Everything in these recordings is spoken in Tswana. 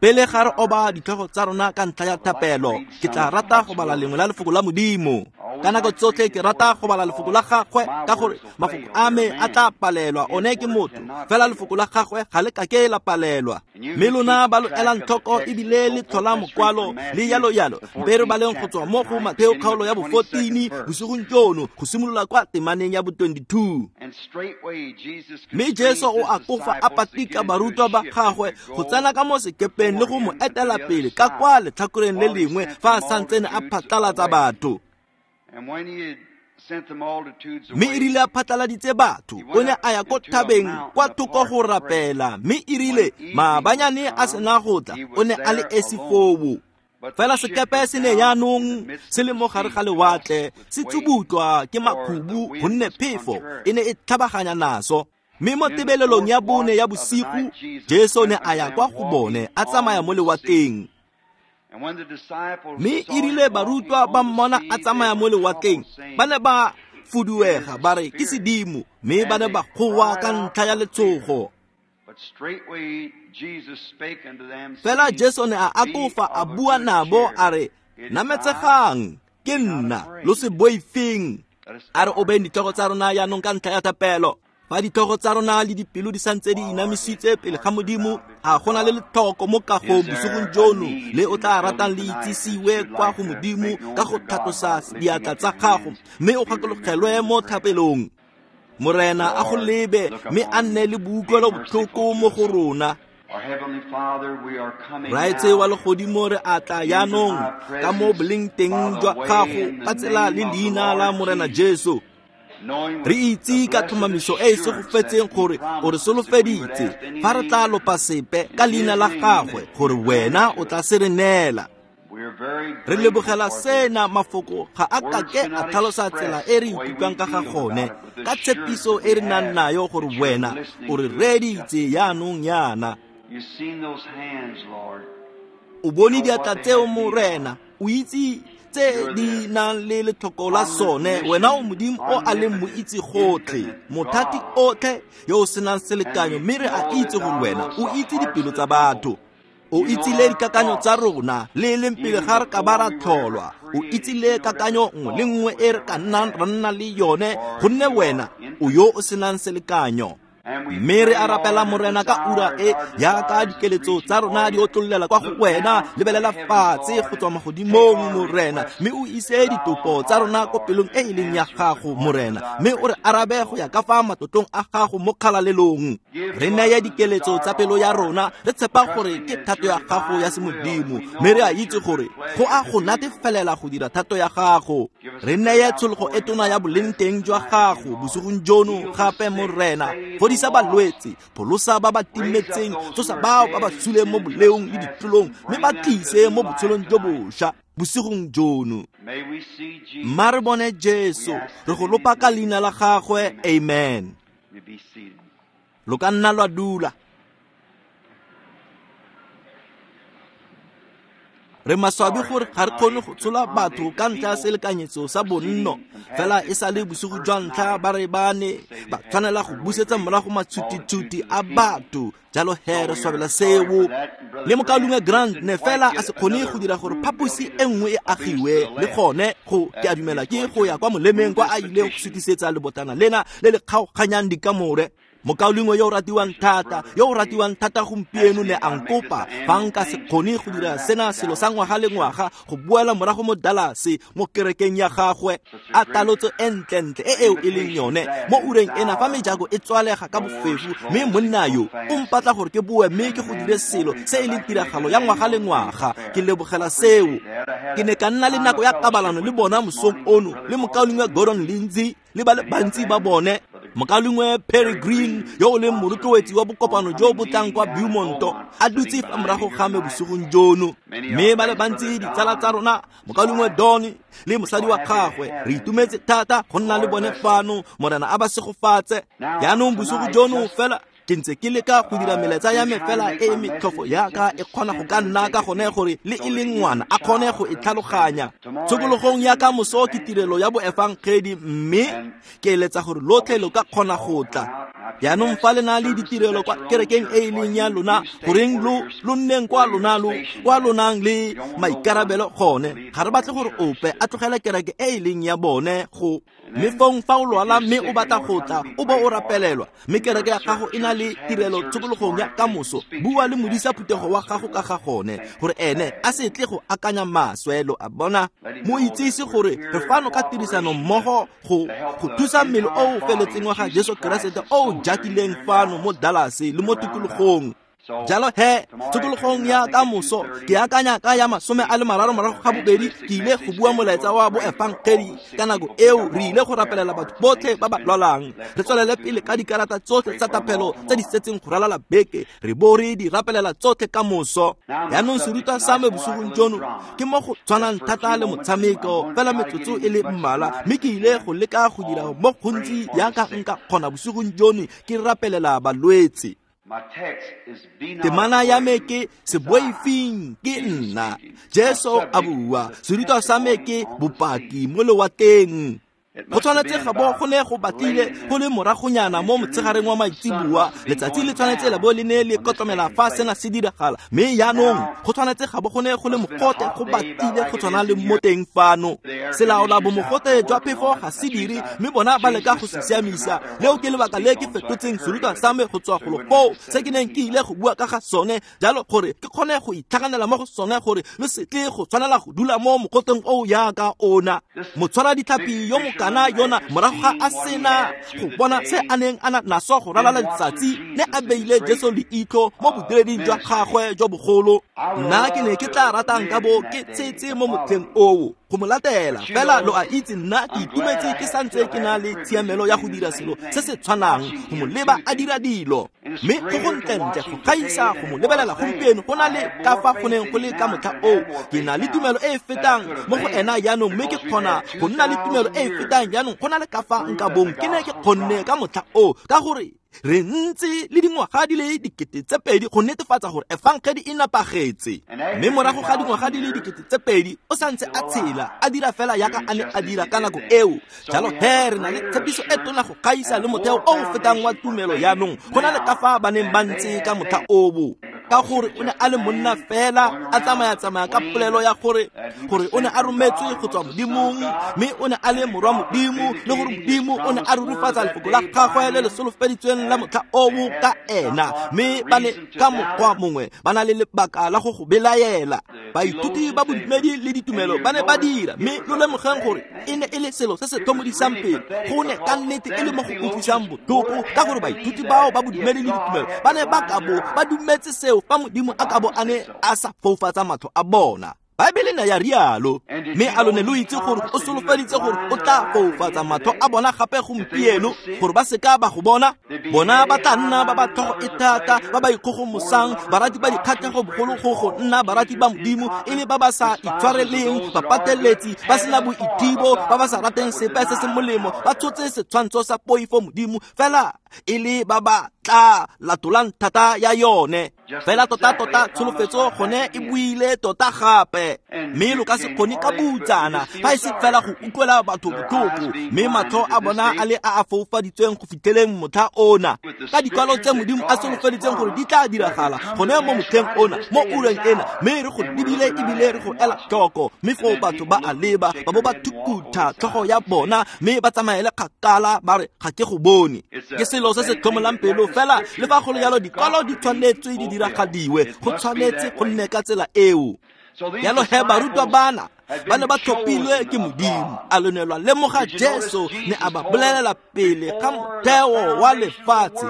Pele ga re oba ditlhogo tsa rona ka ntlha ya thapelo, ke tla rata go bala lengwe la lefoko la Modimo. Ka nako tsotlhe ke rata go bala lefoko la gagwe, ka gore mafoko a me a tla palelwa, one ke motho, fela lefoko la gagwe ga le kake la palelwa. Mme lona ba lo elang tlhoko ebile le tlhola mokwalo le yalo yalo, mpe re baleng go tswa mo go Matheo kgaolo ya bo 14 bosigong jono, go simolola kwa temaneng ya bo 22. Mme Jesu o akofa a patika barutwa ba gagwe go tsena ka mo sekepeng le go mo etela pele ka kwa letlhakoreng le lengwe fa a santsene a phatlalatsa batho. Mme erile a phatlaladitse batho, o ne a ya ko thabeng kwa thoko go rapela, mme erile maabanyane a sena go tla, o ne a le esi foo. Fela sekepe se ne yaanong se le mo gare ga lewatle, se tsubutlwa ke makhubu gonne phefo e ne e tlhabaganya naso. Mme mo tebelelong ya bone ya bosigo, Jesu ne a ya kwa go bone a tsamaya mo lewatleng. Mme erile barutwa ba mmona a tsamaya mo lewatleng, ba ne ba fuduega ba re ke sedimo, mme ba ne ba goa ka ntlha ya letshogo. Fela Jesu ne a akofa a bua nabo a re, nametsegang, ke nna, lo se boifeng. A re obeng ditlhogo tsa rona yaanong ka ntlha ya thapelo. Fa ditlhogo tsa rona le dipelo di santse di inamisitse pele ga Modimo, a go na le letlhoko mo kagong bosigong jono le o tla ratang le itsisiwe kwa go Modimo ka go tlhatlosa diatla tsa gago, mme o gakologelwe mo thapelong. Morena a go lebe mme a nne le boutlwelo botlhoko mo go rona. Raetse wa legodimo, re a tla yaanong ka mo boleng teng jwa gago ka tsela le leina la Morena Jesu. Re itse ka tlhomamiso e e segofetseng gore o re solofeditse fa re tla lopa sepe ka leina la gagwe, gore wena o tla se re neela. Re lebogela sena, mafoko ga a kake a tlhalosa tsela e re ikutlwang ka ga gone, ka tshepiso e re nang nayo gore wena o re reeditse yaanong yana. O bone diatla tseo, Morena, o itse tse di nang le letlhoko la sone. Wena o Modimo o a leng moitse gotlhe, mothati otlhe yo o senang selekanyo, mme re a itse gore wena o itse dipelo tsa batho. O itsile dikakanyo tsa rona le leng pele ga re ka ba ra tlholwa. O itsile kakanyo nngwe le nngwe e re ka nnang ra nna le yone, gonne wena o yo o senang selekanyo. Mme re a rapela, Morena, ka ura e jaaka dikeletso tsa rona di otlollela kwa go wena, lebelela fatshe go tswa magodimong, Morena, mme o ise ditopo tsa rona ko pelong e e leng ya gago, Morena, mme o re arabe go ya ka fa matlotlong a gago mo kgalalelong. Re neye dikeletso tsa pelo ya rona, re tshepa gore ke thato ya gago ya semodimo, mme re a itse gore go a go natefelela go dira thato ya gago. Re neye tshologo e tona ya boleng teng jwa gago bosigong jono gape, Morena. Fodisa balwetse, pholosa ba ba timetseng, tsosa bao ba ba suleng mo boleong le ditlolong, mme ba tlise mo botshelong jo bošwa bosigong jono. Mma re bone Jesu, re go lopa ka leina la gagwe, amen. Lo ka nna lwa dula. Re maswabi gore ga re kgone go tshola batho ka ntlha ya selekanyetso sa bonno, fela e sa le bosigo jwa ntlha ba re ba ne ba tshwanela go busetsa morago matshutitshuti a batho, jalo he re swabela seo. Le mokaulengwe Grant ne fela a se kgone go dira gore phaposi e nngwe e agiwe, le gone go ke a dumela ke go ya kwa molemeng kwa a ileng go sutisetsa lebotana lena le le kgaoganyang dikamore. Mokaulengwe yo o ratiwang thata, yo o ratiwang thata gompieno ne a nkopa fa nka se kgone go dira sena selo sa ngwaga le ngwaga, go boela morago mo Dallas mo kerekeng ya gagwe. A talotso e ntlentle e eo e leng yone mo ureng ena fa mejako e tswalega ka bofefu, mme monna yo o mpatla gore ke boe mme ke go dire selo se e leng tiragalo ya ngwaga le ngwaga. Ke lebogela seo. Ke ne ka nna le nako ya kabalano le bona mosong ono le mokaulengwe Gordon Lindsay le ba le bantsi ba bone. Mokaulengwe Perry Green yo o leng morotloetsi wa bokopano jo bo tlang kwa Beaumonto a dutse fa morago ga me bosigong jono, mme ba le bantsi ditsala tsa rona, mokaulengwe Don le mosadi wa gagwe, re itumetse thata go nna le bone fano. Morena a ba segofatse. Jaanong bosigo jono fela Ke ntse ke leka go dira melaetsa ya me fela e e metlhofo yaka e kgona go ka nna ka gone gore le e leng ngwana a kgone go e tlhaloganya. Tshokologong ya ka moso ke tirelo ya boefangedi, mme ke eletsa gore lotlhe lo ka kgona go tla. Jaanong fa le na le ditirelo kwa kerekeng e e leng ya lona, goreng lo nneng kwa lona lo kwa lo nang le maikarabelo gone. Ga re batle gore ope a tlogele kereke e e leng ya bone go. Mme fong fa o lwala mme o batla go tla, o bo o rapelelwa, mme kereke ya gago e na le tirelo tshokologong ya kamoso, bua le modisa phuthego wa gago ka ga gone, gore ene a se tle go akanya maswe. Lo a bona? Mo itsise gore re fano ka tirisano mmogo go thusa mmele o o feletseng wa ga Jesu Keresete o o jakileng fano mo Dallas le mo tikologong. Jalo he, tshokologong ya kamoso ke akanya ka ya 32 ke ile go bua molaetsa wa boefangedi. Ka nako eo re ile go rapelela batho botlhe ba ba lwalang, re tswelele pele ka dikarata tsotlhe tsa tapelo tse di setseng go ralala beke, re bo re di rapelela tsotlhe ka moso. Jaanong serutwa sa me bosigong jono ke mo go tshwanang thata le motshameko, fela metsotso e le mmalwa, mme ke ile go leka go dira mo gontsi yaka nka kgona bosigong jono ke rapelela balwetse. Temana ya me ke se boifeng ke nna, Jesu a bua. Serutwa sa me ke bopaki mo lewatleng. Go tshwanetse ga bo go ne go batlile go le moragonyana mo motshegareng wa maitseboa, letsatsi le tshwanetse la bo le ne le kotlomela fa sena se diragala, mme jaanong go tshwanetse ga bo go ne go le mogote go batlile go tshwana le mo teng fano. Selaola bomogote jwa phefo ga se dire, mme bona ba leka go se siamisa. Leo ke lebaka le ke fetotseng serutwa sa me go tswa golo foo se ke neng ke ile go bua ka ga sone, jalo gore ke kgone go itlhaganela mo go sone, gore lo se tle go tshwanela go dula mo mogoteng o yaka ona. Motshwara ditlhapi yo mokana yona morago ga a sena go bona se a neng a na naso go ralala letsatsi, ne a beile Jesu leitlho mo bodireding jwa gagwe jwa bogolo. Nna ke ne ke tla ratang ka bo ke tshetse mo motlheng oo go mo latela, fela lo a itse nna ke itumetse ke santse ke na le tshiamelo ya go dira selo se se tshwanang, go mo leba a dira dilo. Mme go go ntlentle go gaisa go mo lebelela gompieno go na le ka fa go neng go le ka motlha oo. Ke na le tumelo e e fetang mo go ena jaanong, mme ke kgona go nna le tumelo e e fetang jaanong go na le ka fa nka bong ke ne ke kgonne ka motlha oo, ka gore re ntse le dingwaga di le 2000 go netefatsa gore efangedi e napagetse. Mme morago ga dingwaga di le 2000 o santse a tshela a dira fela yaka a ne a dira ka nako eo. Jalo he re na le tshepiso e tona go gaisa le motheo o o fetang wa tumelo jaanong go na le ka fa ba neng ba ntse ka motlha oo, ka gore o ne a le monna fela a tsamaya-tsamaya ka polelo ya gore o ne a rometswe go tswa Modimong, mme o ne a le morwa Modimo, le gore Modimo o ne a rurifatsa lefoko la gagwe le le solofeditsweng la motlha oo ka ena. Mme ba ne ka mokgwa mongwe ba na le lebaka la go go belaela. Baithuti ba bodumedi le ditumelo ba ne ba dira, mme lo lemogeng gore e ne e le selo se se tlhomodisang pele, go ne ka nnete e le mo go utlwisang botlhoko, ka gore baithuti bao ba bodumedi le ditumelo ba ne ba ka bo ba dumetse seo fa Modimo a ka bo a ne a sa foufatsa matlho a bona. Baebele ne ya rialo. Mme a lo ne lo itse gore o solofeditse gore o tla foufatsa matlho a bona gape gompieno, gore ba seka ba go bona? Bona ba tla nna ba ba tlhogo e thata, ba ba ikgogomosang, barati ba dikgatlhego bogolo go nna barati ba Modimo, e le ba ba sa itshwareleng, bapateletsi, ba sena boithibo, ba ba sa rateng sepe se se molemo, ba tshotse setshwantsho sa poifo Modimo, fela e le ba ba tla latolang thata ya yone. Fela tota-tota tsholofetso gone e buile tota gape, mme lo ka se kgone ka boutsana fa e se fela go utlwela batho botlhoko, mme matlho a bona a le a a foufaditsweng go fitlheleng motlha ona, ka dikwalo tse Modimo a solofeditseng gore di tla diragala gone mo motlheng ona, mo ureng ena, mme re go lebile ebile re go ela tlhoko. Mme foo batho ba a leba, ba bo ba thukutha tlhogo ya bona, mme ba tsamaele kgakala ba re ga ke go bone. Ke selo se se tlhomolang pelo, fela le fa go le jalo dikwalo di tshwanetswe di diragadiwe, go tshwanetse go nne ka tsela eo. Jalo he barutwa bana ba ne ba tlhophilwe ke Modimo, a lo ne lwa lemoga Jesu ne a ba bolelela pele ga motheo wa lefatshe.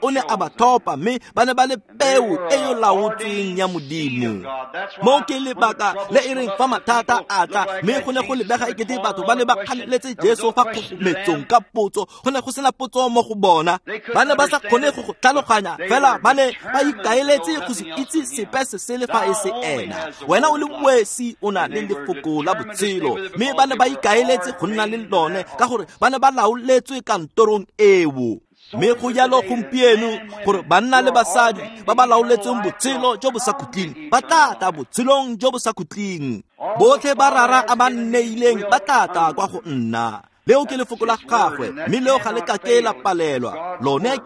O ne a ba tlhopha, mme ba ne ba le peo e yo laotsweng ya Modimo. Mo ke lebaka le e reng fa mathata a tla, mme go ne go lebega ekete batho ba ne ba kganeletse Jesu fa kgogometsong ka potso. Go ne go sena potso mo go bona, ba ne ba sa kgone go go tlhaloganya, fela ba ne ba ikaeletse go se itse sepe se sele fa e se ena. Wena o le wesi o na le lefoko la botshelo, mme ba ne ba ikaeletse go nna le lone ka gore ba ne ba laoletswe kantorong eo. Mme go jalo gompieno gore banna le basadi ba ba laoletsweng botshelo jo bo sa khutleng ba tla tla botshelong jo bo sa khutleng. Botlhe ba Rara a ba nneileng ba tla tla kwa go nna. Leo ke lefoko la gagwe, mme leo ga le kake la palelwa. Lone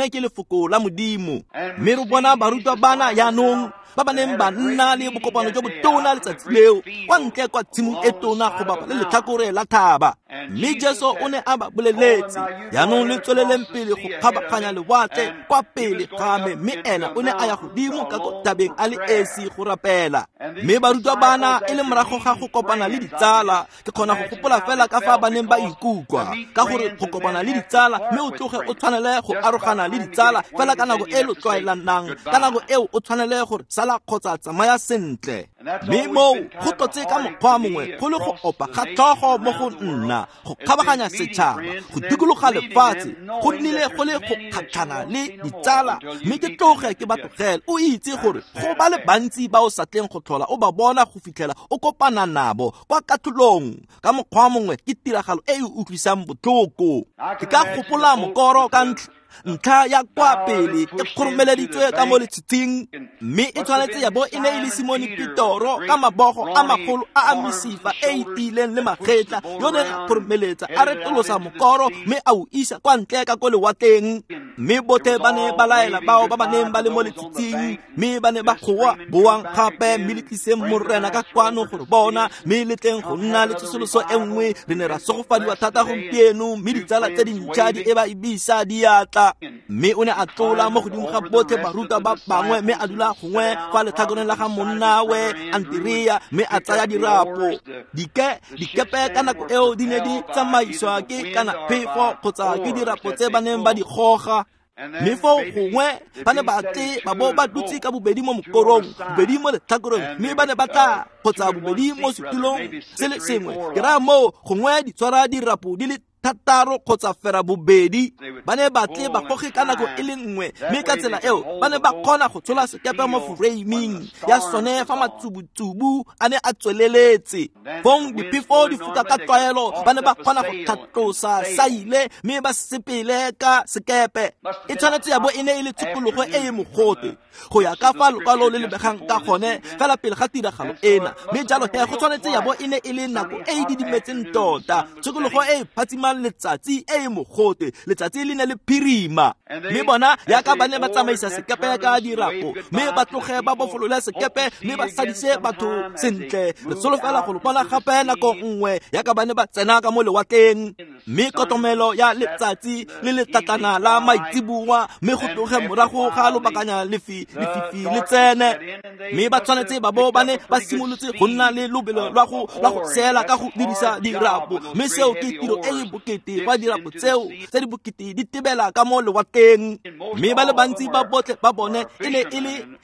ke lefoko la Modimo. Mme re bona barutwa bana jaanong ba ba neng ba nna le bokopano jo botona letsatsi leo kwa ntle kwa tshimong e tona go bapa le letlhakore la thaba. Mme Jesu o ne a ba boleletse, jaanong le tsweleleng pele go kgabaganya lewatle kwa pele ga me, mme ena o ne a ya godimo ka ko thabeng a le esi go rapela. Mme barutwa bana e le morago ga go kopana le ditsala, ke kgona go gopola fela ka fa ba neng ba ikutlwa, ka gore go kopana le ditsala mme o tloge o tshwanele go arogana le ditsala fela ka nako e lo tlwaelanang, ka nako eo o tshwanele gore sala kgotsa tsamaya sentle. Mme moo go tlotse ka mokgwa mongwe go le go opa ga tlhogo mo go nna, go kgabaganya setšhaba, go dikologa lefatshe, go nnile go le go kgatlhana le ditsala, mme ke tloge ke ba tlogele. O itse gore go ba le bantsi ba o sa tleng go tlhola o ba bona go fitlhela o kopana nabo kwa katlholong. Ka mokgwa mongwe ke tiragalo e e utlwisang botlhoko. Ke ka gopola mokoro ka ntlha ya kwa pele e kgoromeleditswe ka mo letshitshing, mme e tshwanetse ya bo e ne e le Simone Petoro ka mabogo a magolo a a mesifa e e tiileng le magetla yo neng a kgoromeletsa a retolosa mokoro mme a o isa kwa ntle ka ko lewatleng. Mme botlhe ba ne ba laela bao ba ba neng ba le mo letshitshing, mme ba ne ba goa, boang gape mme le tliseng Morena ka kwano gore bona, mme le tleng go nna le tsosoloso e nngwe. Re ne ra segofadiwa thata gompieno, mme ditsala tse dintšha di e ba ebisa diatla. Mme o ne a tlola mo godimo ga botlhe barutwa ba bangwe, mme a dula gongwe fa letlhakoreng la ga monnawe Anterea, mme a tsaya dirapo. Dikepe ka nako eo di ne di tsamaiswa ke kana phefo kgotsa ke dirapo tse ba neng ba di goga. Mme foo gongwe ba ne ba tle ba bo ba dutse ka bobedi mo mokorong, bobedi mo letlhakoreng, mme ba ne ba tla kgotsa bobedi mo setulong se le sengwe. Ke raya moo gongwe di tshwara dirapo di le thataro kgotsa fera bobedi. Ba ne ba tle ba goge ka nako e le nngwe, mme ka tsela eo ba ne ba kgona go tshola sekepe mo foreiming ya sone fa matsubutsubu a ne a tsweleletse. Fong diphefo di foka ka tlwaelo, ba ne ba kgona go tlhatlosa saile mme ba sepele ka sekepe. E tshwanetse ya bo e ne e le tshokologo e e mogote go ya ka fa lokwalo le lebegang ka gone fela pele ga tiragalo ena. Mme jalo he go tshwanetse ya bo e ne e le nako e e didimetseng tota, tshokologo e e phatsimang letsatsi e e mogote, letsatsi le ne le phirima. Mme bona yaka ba ne ba tsamaisa sekepe ka dirapo, mme ba tloge ba bofolole sekepe mme ba sadise batho sentle. Re solofela go lo bona gape nako nngwe yaka ba ne ba tsena ka mo lewatleng. Mme kotomelo ya letsatsi le letlatlana la maitseboa, mme go tloge morago ga lobakanya lefifi le tsene. Mme ba tshwanetse ba bo ba ne ba simolotse go nna le lobelo lwa go seela ka go dirisa dirapo, mme seo ke tiro e e bokete fa dirapo tseo tse di bokete di tebela ka mo lewatleng. Mme ba le bantsi ba botlhe ba bone e ne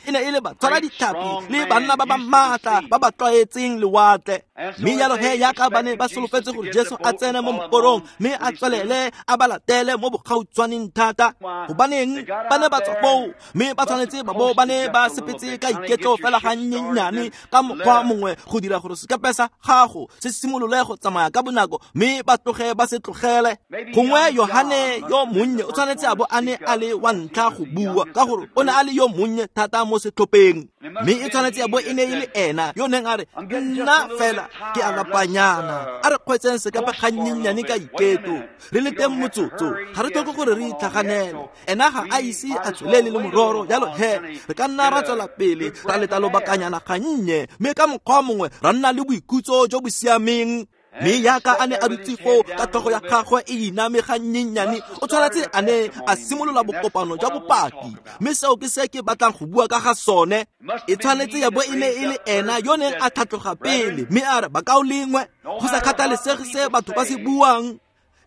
e le ba tshwara ditlhapi le banna ba ba maatla ba ba tlwaetseng lewatle. Mme jalo he yaka ba ne ba solofetse gore Jesu a tsene mo mokorong mme a tswelele a ba latele mo bogautshwaneng thata, gobaneng ba ne ba tswa foo, mme ba tshwanetse ba bo ba ne ba sepetse ka iketlo fela ga nnyenyane ka mokgwa mongwe go dira gore sekepe sa gago se simolole go tsamaya ka bonako, mme ba tloge ba se tlogele. Gongwe Yohane yo monnye o tshwanetse a bo a ne a le wa ntlha go bua, ka gore o ne a le yo monnye thata mo setlhopheng. Mme e tshwanetse ya bo e ne e le ena yo neng a re, nna fela ke a lapanyana, a re kgweetseng sekepe ga nnyenyane ka iketlo, re le teng motsotso, ga re tlhoke gore re itlhaganele. Ena ga a ise a tswelele le mororo, jalo he re ka nna ra tswela pele ra leta lobakanyana gannye, mme ka mokgwa mongwe ra nna le boikhutso jo bo siameng. Mme yaka a ne a dutse foo ka tlhogo ya gagwe e iname ga nnyenyane, o tshwanetse a ne a simolola bokopano jwa bopaki. Mme seo ke se ke batlang go bua ka ga sone. E tshwanetse ya bo e ne e le ena yo neng a tlhatloga pele, mme a re, bakaulengwe, go sa kgathalesege se batho ba se buang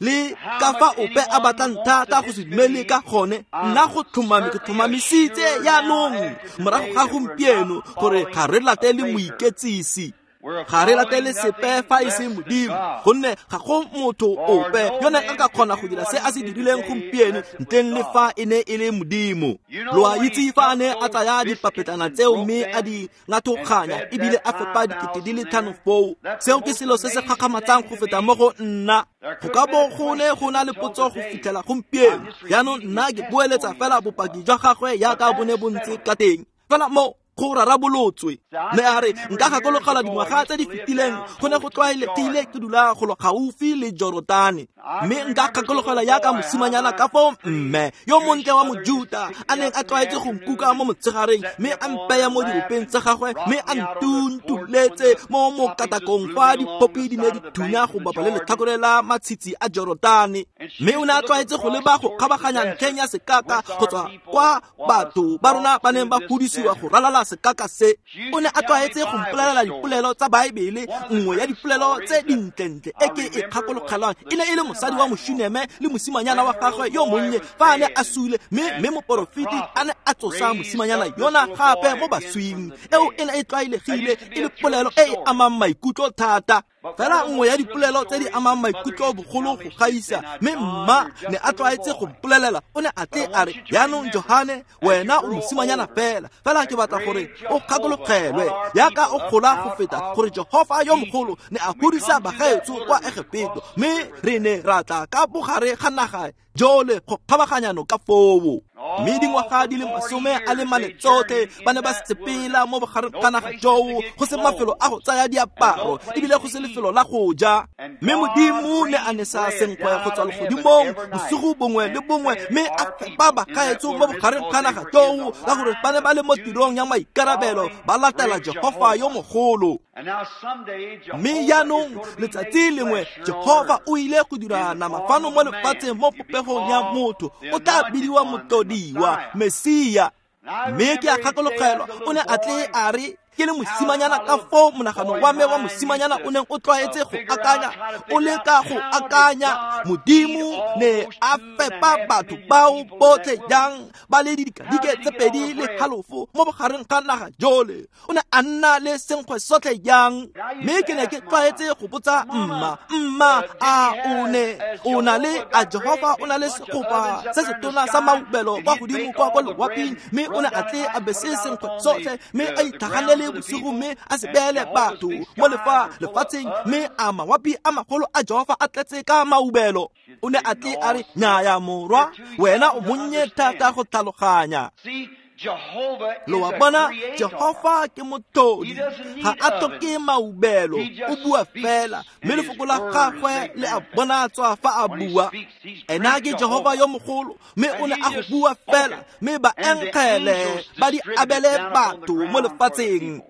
le ka fa ope a batlang thata go se dumele ka gone, nna go tlhomame ke tlhomamisitse jaanong morago ga gompieno gore ga re latele moiketsisi. Ga re latele sepe fa e se Modimo, gonne ga go motho ope yo neng a ka kgona go dira se a se dirileng gompieno ntleng le fa e ne e le Modimo. Lo a itse fa a ne a tsaya dipapetlana tseo mme a di ngathoganya ebile a fepa 5,000 foo, seo ke selo se se gakgamatsang go feta mo go nna. Go ka bo go ne go na le potso go fitlhela gompieno. Jaanong nna ke boeletsa fela bopaki jwa gagwe jaaka bo ne bo ntse ka teng, fela mo go rarabolotswe. Mme a re nka gakologela dingwaga tse di fetileng go ne go tlwaelegile ke dula golo gaufi le Jorotane, mme nka gakologela jaaka mosimanyana ka foo mme yo montle wa Mojuta a neng a tlwaetse go nkuka mo motshegareng mme a mpeya mo diropeng tsa gagwe mme a ntuntuletse mo mokatakong fa diphopi di ne di thunya go bapa le letlhakore la matshitshi a Jorotane. Mme o ne a tlwaetse go leba go kgabaganya ntlheng ya sekaka go tswa kwa batho ba rona ba neng ba godisiwa go ralala sekaka se. O ne a tlwaetse go mpolelela dipolelo tsa Baebele. Nngwe ya dipolelo tse dintlentle e ke e kgakologelang e ne e le mosadi wa Moshuneme le mosimanyana wa gagwe yo monnye fa a ne a sule, mme moporofeti a ne a tsosa mosimanyana yona gape mo baswing. Eo e ne e tlwaelegile e le polelo e e amang maikutlo thata, fela nngwe ya dipolelo tse di amang maikutlo bogolo go gaisa. Mme mma ne a tlwaetse go mpolelela, o ne a tle a re, jaanong Johane, wena o mosimanyana fela, fela ke batla gore o gakologelwe jaaka o gola go feta gore Jehofa yo mogolo ne a godisa bagaetsho kwa Egepeto, mme re ne ra tla ka bogare ga naga jole go kgabaganya noka foo. Mme dingwaga di le 44 tsotlhe ba ne ba sepela mo bogareng ga naga joo, go se mafelo a go tsaya diaparo ebile go se lefelo la go ja. Mme Modimo ne a nesa senkgwe go tswa legodimong bosigo bongwe le bongwe, mme a fepa bagaetsho mo bogareng ga naga joo, ka gore ba ne ba le mo tirong ya maikarabelo ba latela Jehofa yo mogolo. Mme jaanong letsatsi lengwe Jehofa o ile go dira nama fano mo lefatsheng mo popegong ya motho, o tla bidiwa motlodiwa, Mesia. Mme ke a gakologelwa o ne a tle a re ke le mosimanyana ka foo monagano wa me wa mosimanyana o neng o tlwaetse go akanya, o leka go akanya Modimo ne a fepa batho bao botlhe jang ba le didikadike tse 2.5 mo bogareng ga naga jole. O ne a nna le senkgwe sotlhe jang? Mme ke ne ke tlwaetse go botsa mma, mma a o ne o na le a Jehofa o na le segopa se se tona sa maubelo kwa godimo kwa kwa loaping, mme o ne a tle a bese senkgwe sotlhe mme a itlhaganele bosigo mme a se beele batho mo lefatsheng, mme a mawapi a magolo a Jehofa a tletse ka maubelo. O ne a tle a re, nnyaya morwa, wena o monnye thata go tlhaloganya. Lo a bona, Jehofa ke motlodi, ga a tlhoke maubelo, o bua fela, mme lefoko la gagwe le a bonatswa fa a bua. Ena ke Jehofa yo mogolo, mme o ne a go bua fela, mme baengele ba di abele batho mo lefatsheng.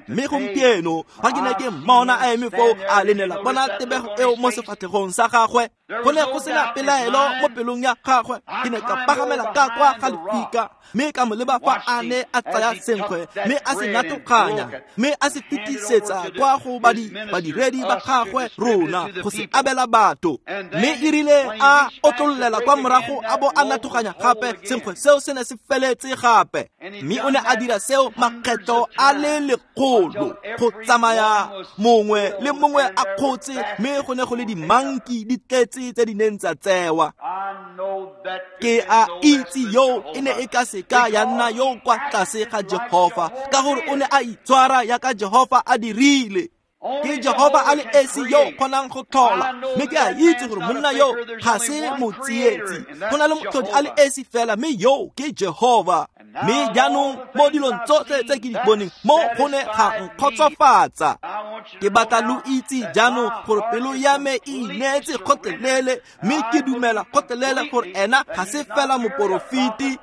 Mme gompieno fa ke ne ke mmona a eme foo, a le ne la bona tebego eo mo sefatlhegong sa gagwe, go ne go sena pelaelo mo pelong ya gagwe. Ke ne ka pagamela ka kwa ga lefika mme ka mo leba fa a ne a tsaya senkgwe mme a se natoganya mme a se fetisetsa kwa go badiredi ba gagwe rona go se abela batho. Mme e rile a otlololela kwa morago a bo a natoganya gape, senkgwe seo se ne se feletse gape. Mme o ne a dira seo makgetlo a le 100 go tsamaya mongwe le mongwe a kgotse, mme go ne go le dimanki di tletse tse di neng tsa tsewa. Ke a itse yo e ne e ka seka ya nna yo kwa tlase ga Jehofa, ka gore o ne a itshwara jaaka Jehofa a dirile. Ke Jehofa a le esi yo kgonang go tlhola, mme ke a itse gore monna yo ga se motsietsi. Go na le motlhodi a le esi fela, mme yo ke Jehofa. Mme jaanong mo dilong tsotlhe tse ke di boneng, mo go ne ga nkgotsofatsa. Ke batla lo itse jaanong gore pelo ya me e ineetse kgotlelele, mme ke dumela kgotlelele gore ena ga se fela moporofeti.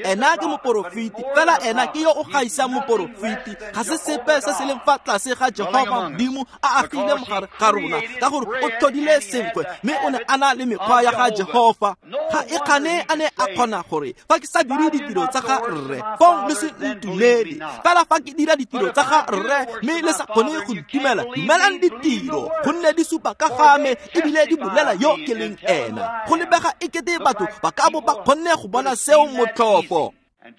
Ena ke moporofeti, fela ena ke yo o gaisang moporofeti. Ga se sepe se se leng fa tlase ga Jehofa Modimo a agile mogare ga rona, ka gore o tlhodile senkgwe mme o ne a na le mekgwa ya ga Jehofa. Ga e kgane a ne a kgona gore fa ke sa dire ditiro tsa ga rre, fong le se ntumele. Fela fa ke dira ditiro tsa ga rre mme le sa kgone go ntumela, dumelang ditiro, gonne di supa ka ga me ebile di bolela yo ke leng ena. Go lebega ekete batho ba ka bo ba kgonne go bona seo motlhofo.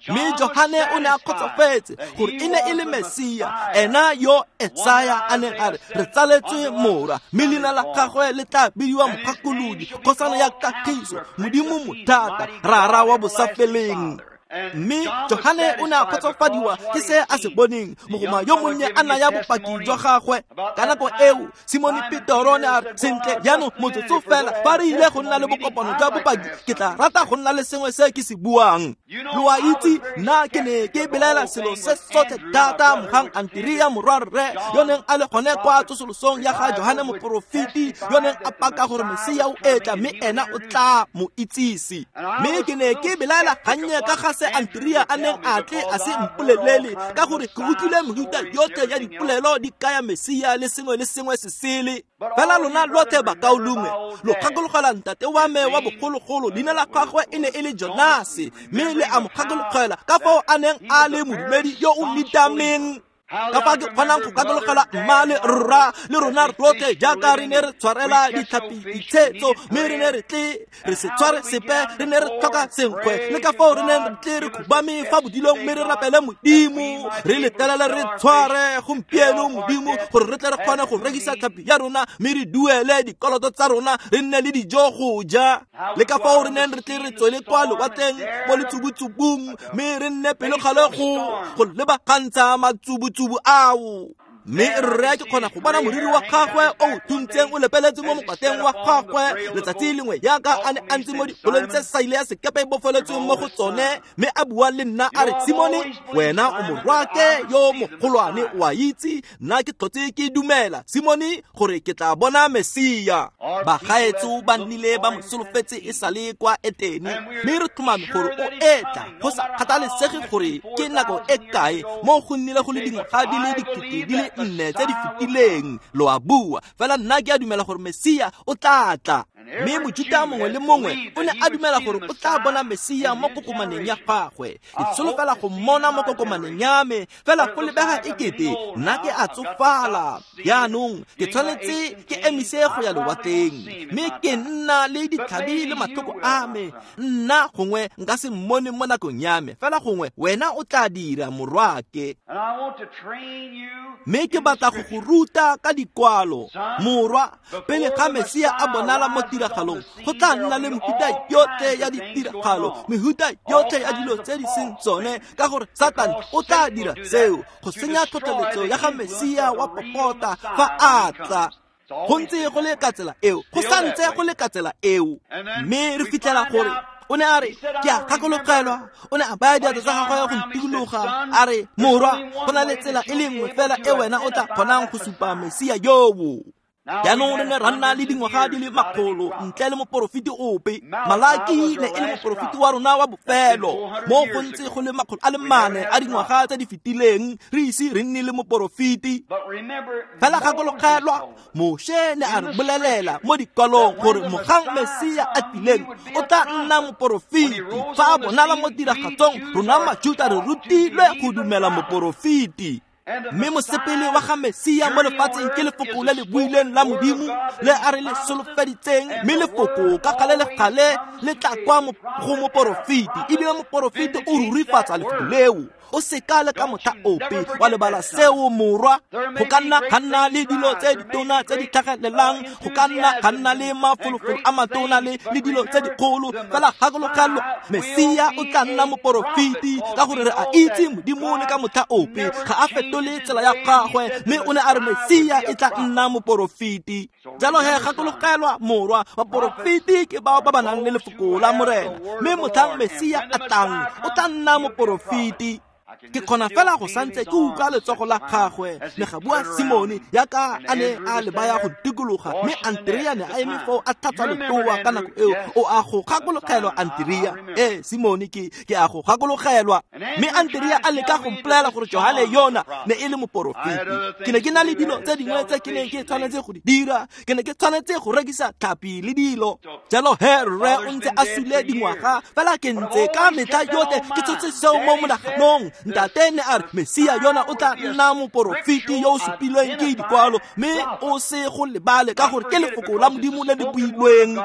Mme Johane o ne a kgotsofetse gore e ne e le Mesia, ena yo Esaya a neng a re re tsaletswe morwa, mme leina la gagwe le tla bidiwa Mogakolodi, kgosana ya kagiso, Modimo mothata, Rara wa bosafeleng. Mme Johane o ne a kgotsofadiwa ke se a se boneng, mogoma yo monnye a naya bopaki jwa gagwe. Ka nako eo Simone Petero ne a re, sentle jaanong motsotso fela, fa re ile go nna le bokopano jwa bopaki, ke tla rata go nna le sengwe se ke se buang. Lo a itse, nna ke ne ke belaela selo se sotlhe thata mogang Anterea morwarre yo neng a le gone kwa tsosolosong ya ga Johane moporofeti, yo neng a paka gore Mesia o etla mme ena o tla mo itsise. Mme ke ne ke belaela gannye ka ga se Anterea a neng a tle a se mpolelele, ka gore ke utlwile mehuta yotlhe ya dipolelo di kaya Mesia le sengwe le sengwe se sele. Fela lona lotlhe bakaulengwe, lo gakologela ntate wa me wa bogologolo, leina la gagwe e ne e le Jonase, mme le a mo gakologela ka fao a neng a le modumedi yo o nitameng. Ka fa ke kgonang go gakologela mma le rra le rona rotlhe jaaka re ne re tshwarela ditlhapi ditshetso, mme re ne re tle re se tshware sepe, re ne re tlhoka senkgwe, le ka fao re neng re tle re khubame fa bodilong mme re rapele Modimo, re letelele re tshware gompieno Modimo gore re tle re kgone go rekisa tlhapi ya rona mme re duele dikoloto tsa rona, re nne le dijo go ja. Le ka fao re neng re tle re tswele kwa lewatleng mo letsubutsubung mme re nne pelokgale go lebagantsha matsubutsubu ao. Mme rre ke kgona go bona moriri wa gagwe o thuntseng o lepeletse mo mokwateng wa gagwe letsatsi lengwe jaaka a ne a ntse mo dikolong tse saile ya sekepe e bofeletsweng mo go tsone, mme a bua le nna a re, Simone, wena o morwake yo mogolwane, o a itse nna ke tlhotse ke dumela, Simone, gore ke tla bona Mesia. Bagaetso ba nnile ba mo solofetse e sale kwa Etene, mme re tlhomame gore o etla go sa kgathalesege gore ke nako e kae, mo go nnile go le dingwaga di le 4000 tse di fetileng. Lo a bua fela, nna ke a dumela gore Mesia o tla tla. Mme Mojuta mongwe le mongwe o ne a dumela gore o tla bona Mesia mo kokomaneng ya gagwe. Ke solofela go mmona mo kokomaneng ya me, fela go lebega ekete nna ke a tsofala. Jaanong ke tshwanetse ke emise go ya lewatleng, mme ke nna le ditlhabi le matlhoko a me. Nna gongwe nka se mmone mo nakong ya me, fela gongwe wena o tla dira, morwake. Mme ke batla go go ruta ka dikwalo, morwa. Pele ga Mesia a bonala mo tiragalong, go tla nna le mehuta yotlhe ya ditiragalo, mehuta yotlhe ya dilo tse di seng tsone, ka gore Satane o tla dira seo go senya tlhotlheletso ya ga Mesia wa popota fa a tla. Go ntse go le ka tsela eo, go santse go le ka tsela eo. Mme re fitlhela gore o ne a re, ke a gakologelwa, o ne a baya diatla tsa gagwe go ntikologa, a re, morwa, go na le tsela e le nngwe fela e wena o tla kgonang go supa Mesia yoo. Jaanong re ne ra nna le dingwaga di le 100 ntle le moporofeti ope. Malaki ne e le moporofeti wa rona wa bofelo, mo go ntse go le 400 a dingwaga tse di fetileng re ise re nne le moporofeti. Fela gakologelwa, Moshe ne a re bolelela mo dikwalong gore mogang Mesia a tlileng o tla nna moporofeti. Fa a bonala mo tiragatsong, rona Majuta re rutilwe go dumela moporofeti. Mme mosepele wa ga Mesia mo lefatsheng ke lefoko le le buileng la Modimo le a re le solofeditseng, mme lefoko ka gale le gale le tla kwa go moporofeti, ebile moporofeti o rurifatsa lefoko leo. O seka le ka motlha ope wa lebala seo, morwa. Go ka nna ga nna le dilo tse ditona tse di tlhagelelang, go ka nna ga nna le mafolofolo a matona le dilo tse dikgolo, fela gakologelwa, Mesia o tla nna moporofeti, ka gore re a itse Modimo le ka motlha ope ga a fetole tsela ya gagwe, mme o ne a re Mesia e tla nna moporofeti. Jalo he gakologelwa, morwa, baporofeti ke bao ba ba nang le lefoko la Morena, mme motlhang Mesia a tlang o tla nna moporofeti. Ke kgona fela go santse ke utlwa letsogo la gagwe le ga bua Simone yaka a ne a le baya go dikologa, mme Anterea ne a eme foo a tlhatswa letoa ka nako eo. O a go gakologelwa, Anterea? Ee, Simone, ke a go gakologelwa. Mme Anterea a leka go mpolelela gore Johane yona ne e le moporofeti. Ke ne ke na le dilo tse dingwe tse ke neng ke tshwanetse go di dira, ke ne ke tshwanetse go rekisa tlhapi le dilo. Jalo he rre o ntse a sule dingwaga, fela ke ntse ka metlha yotlhe ke tshotse seo mo monaganong. Ntate ne a re Mesia yona o tla nna moporofeti yo o supilweng ke dikwalo, mme o se go lebale ka gore ke lefoko la Modimo le le builweng.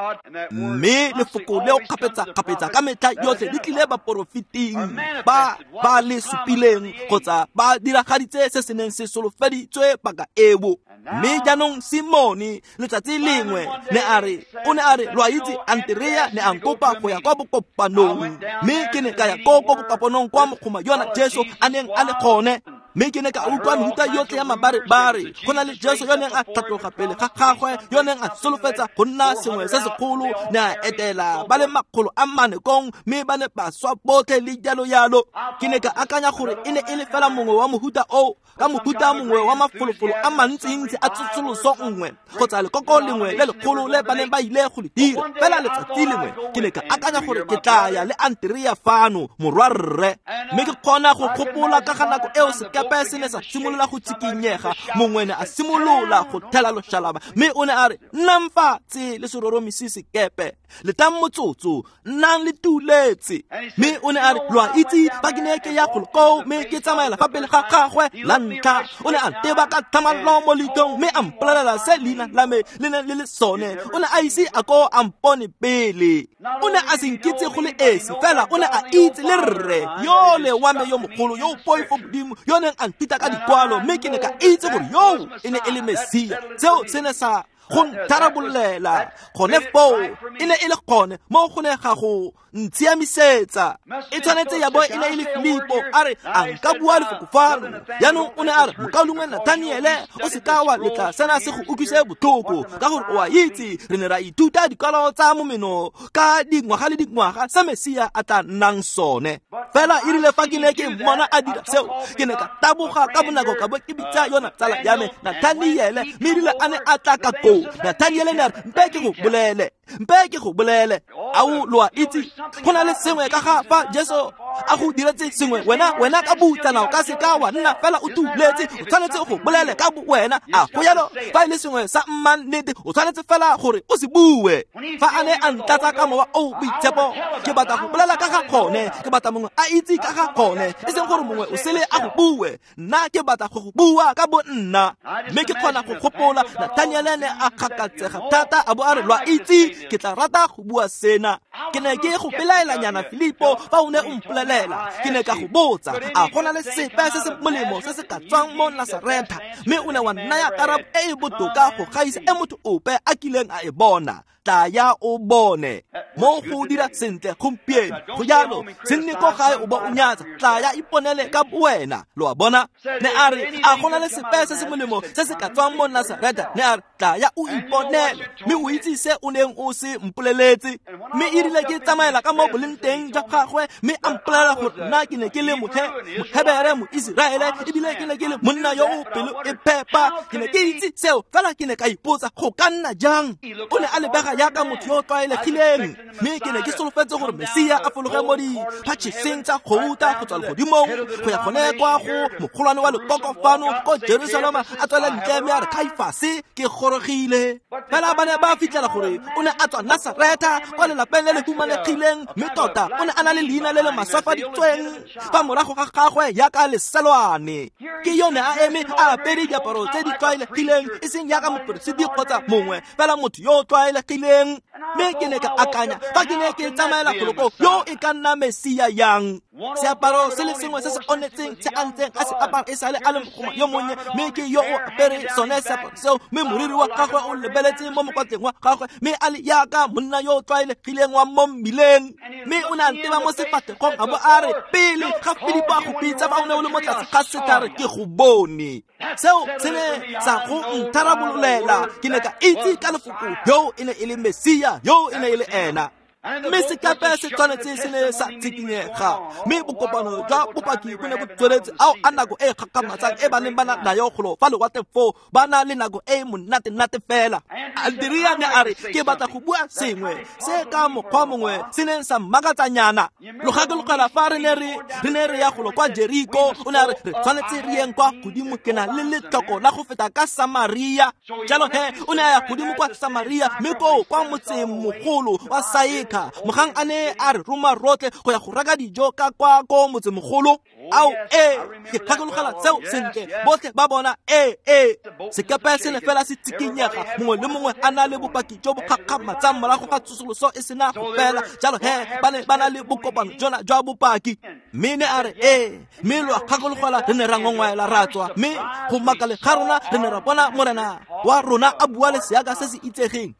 Mme lefoko leo kgapetsa-kgapetsa ka metlha yotlhe le tlile baporofeting ba ba le supileng kgotsa ba diragaditse se se neng se solofeditswe paka eo. Mme jaanong Simone letsatsi lengwe ne a re, o ne a re, lo a itse, Andrea ne a nkopa go ya kwa bokopanong, mme ke ne ka ya ko bokopanong kwa mogoma yona Jesu a neng a le gone. Mme ke ne ka utlwa mehuta yotlhe ya mabarebare, go na le Jesu yo neng a tlhatloga pele ga gagwe, yo neng a solofetsa go nna sengwe se segolo, ne a etela ba le 400 kong, mme ba ne ba swa botlhe le jalo jalo. Ke ne ka akanya gore e ne e le fela mongwe wa mohuta oo, ka mohuta mongwe wa mafolofolo a mantsintsi a tsosoloso nngwe kgotsa lekoko lengwe le legolo le ba neng ba ile go le dira. Fela letsatsi lengwe ke ne ka akanya gore ke tla ya le Andrea fano, morwarre. Mme ke kgona go gopola ka ga nako eo sekepe se ne sa simolola go tsikinyega, mongwe ne a simolola go thela loshalaba, mme o ne a re, nnang fatshe le seroromisi sekepe, letang motsotso, nnang le tuletse. Mme o ne a re, lo a itse, fa ke ne ke ya golo koo mme ke tsamaela fa pele ga gagwe la ntlha, o ne a nteba ka tlhamallo mo leitlhong mme a mpolelela se leina la me le neng le le sone. O ne a ise a ko a mpone pele, o ne a se nkitse go le esi, fela o ne a itse le rre yole wa me yo mogolo yo o poifo Modimo, yo neng a nthuta ka dikwalo, mme ke ne ka itse gore yoo e ne e le Mesia. Seo se ne sa go ntharabollela gone foo, e ne e le gone mo go ne ga go ntshiamisetsa. E tshwanetse ya bo e ne e le Filipo a re, a nka bua lefoko fano. Jaanong o ne a re, mokaulengwe Nathaniele, o se ka wa letla sena se go utlwise botlhoko, ka gore o a itse re ne ra ithuta dikwalo tsa momeno ka dingwaga le dingwaga se Mesia a tla nnang sone. Fela e rile fa ke ne ke mmona a dira seo, ke ne ka taboga ka bonako ka bo ke bitsa yona tsala ya me Nathaniele, mme erile a ne a tla ka koo, Nathaniele ne a re, mpe ke go bolele, mpe ke go bolele. Ao, lo a itse, go na le sengwe ka ga fa Jesu a go diretse sengwe, wena ka butsana o ka se ka wa nna fela o tuletse, o tshwanetse go bolele ka bo wena. A go jalo? Fa e le sengwe sa mmannete, o tshwanetse fela gore o se bue. Fa a ne a ntlatsa ka mowa o boitshepo, ke batla go bolela ka ga gone, ke batla mongwe a itse ka ga gone, e seng gore mongwe o sele a go bue, nna ke batla go go bua ka bo nna. Mme ke kgona go gopola Nathaniele ne a kgakatsega thata a bo a re, lo a itse, ke tla rata go bua sena. Ke ne ke go belaelanyana Filipo fa o ne o mpolelela, ke ne ka go botsa, a go na le sepe se se molemo se se ka tswang mo Nasaretha? Mme o ne wa nnaya karabo e e botoka go gaisa e motho ope a kileng a e bona. Tla ya o bone. Mo go dira sentle gompieno, go jalo, se nne ko gae o bo o nyatsa, tla ya iponele ka wena. Lo a bona? Ne a re, a go na le sepe se se molemo se se ka tswang mo Nasaretha? Ne a re, tla ya o iponele, mme o itse se o neng o se mpoleletse. Mme e rile ke tsamaela ka mo boleng teng jwa gagwe, mme a mpolelela gore nna ke ne ke le Mohebere, Moiseraele, ebile ke ne ke le monna yo o pelo e phepa. Ke ne ke itse seo, fela ke ne ka ipotsa, go ka nna jang? O ne a lebega jaaka motho yo o tlwaelegileng, mme ke ne ke solofetse gore Mesia a fologe mo diphatšheseng tsa gouta go tswa legodimong go ya gone kwa go mogolwane wa lekoko fano ko Jerusalema, a tswele ntle mme a re, Kaifase, ke gorogile. Fela ba ne ba fitlhela gore o ne a tswa Nasaretha, kwa lelapeng le le humanegileng, mme tota o ne a na le leina le le maswafaditsweng fa morago ga gagwe jaaka leselwane. Ke yone a eme a apere diaparo tse di tlwaelegileng, e seng jaaka moperesiti kgotsa mongwe, fela motho yo o tlwaelegileng. Mme ke ne ka akanya, fa ke ne ke tsamaela goloko, yo e ka nna Mesia yang? Seaparo se le sengwe se se onetseng se a ntseng a se apara e sale a le mogoma yo monnye, mme ke yo o apere sone seaparo seo, mme moriri wa gagwe o lebeletse mo mokwatleng wa gagwe, mme a le jaaka monna yo o tlwaelegileng wa mo mmileng. Mme o ne a nteba mo sefatlhegong a bo a re, pele ga Filipo a go bitsa fa o ne o le mo tlase ga setlhare, ke go bone. Seo se ne sa go ntharabololela. Ke ne ka itse ka lefoko, yo e ne e le Mesia, yo e ne e le ena. Mme sekepe se tshwanetse se ne sa tshikinyega, mme bokopano jwa bopaki bo ne bo tsweletse. Ao a nako e gakgamatsang e ba neng ba na nayo golo fa lewatle foo, ba na le nako e monate-nate fela. Andrea ne a re, ke batla go bua sengwe se ka mokgwa mongwe se neng sa mmakatsanyana. Lo gakologela fa re ne re ya golo kwa Jeriko, o ne a re, re tshwanetse re yeng kwa godimo, ke na le letlhoko la go feta ka Samaria. Jalo he o ne a ya godimo kwa Samaria, mme koo kwa motseng mogolo wa Saika, ntlha mogang a ne a re roma rotlhe go ya go reka dijo ka kwa ko motsemogolo? Ao ee, ke gakologela seo sentle. Botlhe ba bona ee, sekepe se ne fela se tsikinyega, mongwe le mongwe a na le bopaki jo bo gakgamatsang morago ga tsosoloso e sena go fela. Jalo he ba ne ba na le bokopano jona jwa bopaki. Mme ne a re ee, mme lo a gakologela re ne ra ngongwaela ra tswa, mme go makale ga rona re ne ra bona morena wa rona a bua le seaka se se itsegeng.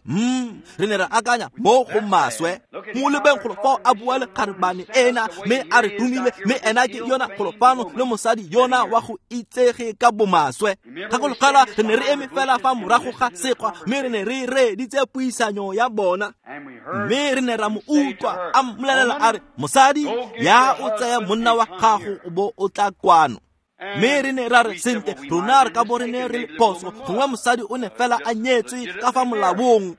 Re ne ra akanya mo go maswe. Mo lebeng golo fao a bua le kgarebane ena, mme a re romile, mme ena ke yona golo fano le mosadi yona wa go itsege ka bomaswe. Gakologela re ne re eme fela fa morago ga sekgwa, mme re ne re reeditse puisanyo ya bona, mme re ne ra mo utlwa a mmolelela a re, mosadi ya o tsaya monna wa gago o bo o tla kwano. Mme re ne ra re, sentle, rona re ka bo re ne re le phoso, gongwe mosadi o ne fela a nyetswe ka fa molaong.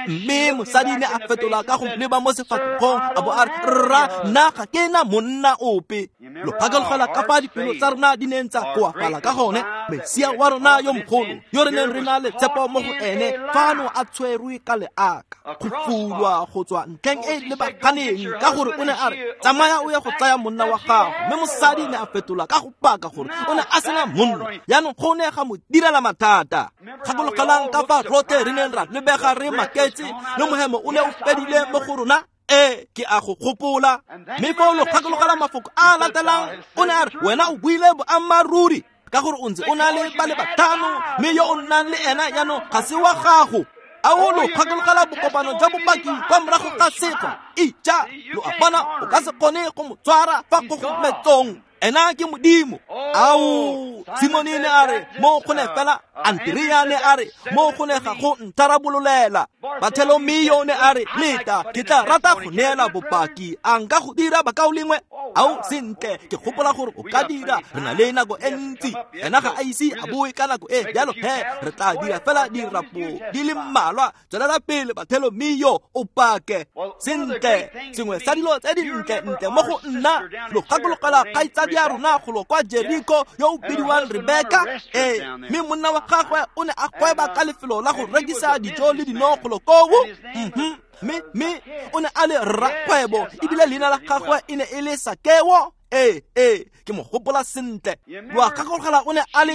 Mme mosadi ne a fetola ka go leba mo sefatlhegong a bo a re, rra, nna ga ke na monna ope. Lo gakologela ka fa dipelo tsa rona di neng tsa koafala ka gone. Mesia wa rona yo mogolo yo re neng re na le tshepo mo go ene fano a tshwerwe ka leaka, go fulwa go tswa ntlheng e lebaganeng, ka gore o ne a re, tsamaya o ye go tsaya monna wa gago. Mme mosadi ne a fetola ka go paka gore o ne a sena monna. Jaanong go ne ga mo direla mathata. Gakologelang ka fa rotlhe re neng ra lebega re maketse, le mohemo o ne o fedile mo go rona. Ee, ke a go gopola. Mme foo lo gakologela mafoko a latelang, o ne a re, wena o buile boammaaruri, ka gore o ntse o na le ba le batlhano, mme yo o nnang le ena jaanong ga se wa gago. Ao lo gakologela bokopano jwa bopaki kwa morago ga sekgwa? Ija, lo a bona, o ka se kgone go mo tshwara fa kgogometsong. Ena ke Modimo. Ao, Simone ne a re mo go ne fela, Andrea ne a re mo go ne ga go ntharabololela. Bartolomeo ne a re, leta, ke tla rata go neela bopaki. A nka go dira, bakaulengwe? Ao, sentle, ke gopola gore o ka dira. Re na le nako e ntsi. Ena ga a ise a boe ka nako e, jalo he re tla dira fela dirapo di le mmalwa. Tswelela pele, Bartolomeo, o pake. Sentle, sengwe sa dilo tse dintle ntle mo go nna, lo gakologela kgaitsadi ya rona golo kwa Jeriko yo o bidiwang Rebeka? Ee, mme monna wa gagwe o ne a gweba ka lefelo la go rekisa dijo le dino golo koo. Mme o ne a le rrakgwebo, ebile leina la gagwe e ne e le Sakeo. Ee, ke mo gopola sentle. Lo a gakologela o ne a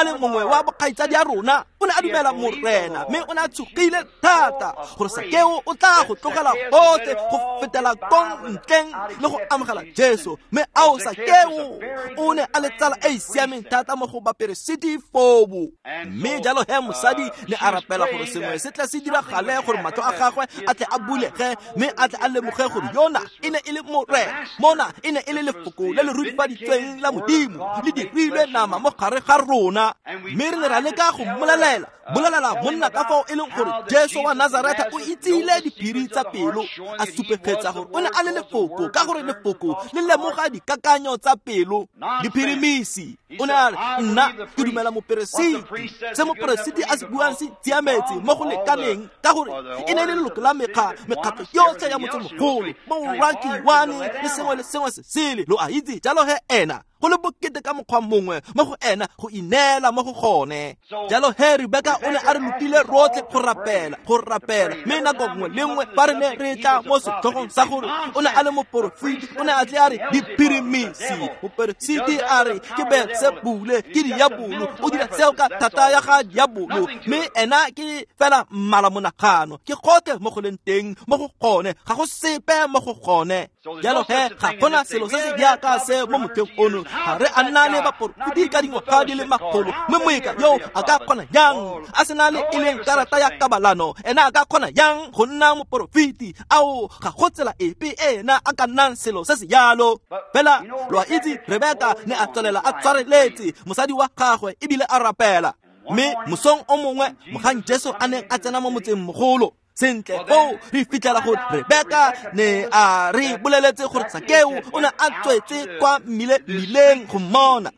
le mongwe wa bokgaitsadi ya rona. O ne a dumela morena, mme o ne a tshogile thata gore Sakeo o tla go tlogela gotlhe go fetela kong ntleng le go amogela Jesu. Mme ao, Sakeo o ne a le tsala e e siameng thata mo go baperesiti foo. Mme jalo he mosadi ne a rapela gore sengwe se tle se diragale, gore matlho a gagwe a tle a bulege, mme a tle a lemoge gore yona e ne e le morena, mona e ne e le lefoko le le rurifaditsweng la Modimo le dirilwe nama mo gare ga rona. Mme re ne ra leka go bolelela monna ka fao e leng gore Jesu wa Nazaretha o itsile diphiri tsa pelo, a supegetsa gore o ne a le lefoko, ka gore lefoko le lemoga dikakanyo tsa pelo. Diphirimisi, o ne a re, nna ke dumela moperesiti, se moperesiti a se buang se tsiametse mo go lekaneng, ka gore e ne e le leloko la mekgatlho yotlhe ya motsemogolo, borakiwane le sengwe le sengwe se sele. Lo a itse, jalo he ena go le bokete ka mokgwa mongwe mo go ena go ineela mo go gone. Jalo he Rebeka o ne a re lopile rotlhe go rapela, mme nako nngwe le nngwe fa re ne re tla mo setlhogong sa gore o ne a le moporofeti, o ne a tle a re diphirimisi. Moperesiti a re ke Beelsebule, ke diabolo, o dira seo ka thata ya ga diabolo, mme ena ke fela mmala monagano, ke gotlhe mo go leng teng mo go gone, ga go sepe mo go gone. Jalo he ga gona selo se se jaaka se mo motlheng ono. Ga re a nna le baporofeti ka dingwaga di le makgolo, mme moeka yo a ka kgona jang a sena le e leng karata ya kabalano? Ena a ka kgona jang go nna moporofeti? Ao, ga go tsela epe ena a ka nnang selo se se jalo. Fela lo a itse, Rebeka ne a tswelela a tshwareletse mosadi wa gagwe ebile a rapela. Mme mosong o mongwe mogang Jesu a neng a tsena mo motseng mogolo, sentle foo re fitlhela gore Rebeka ne a re boleletse gore Sakeo o ne a tswetse kwa mmileng go mmona.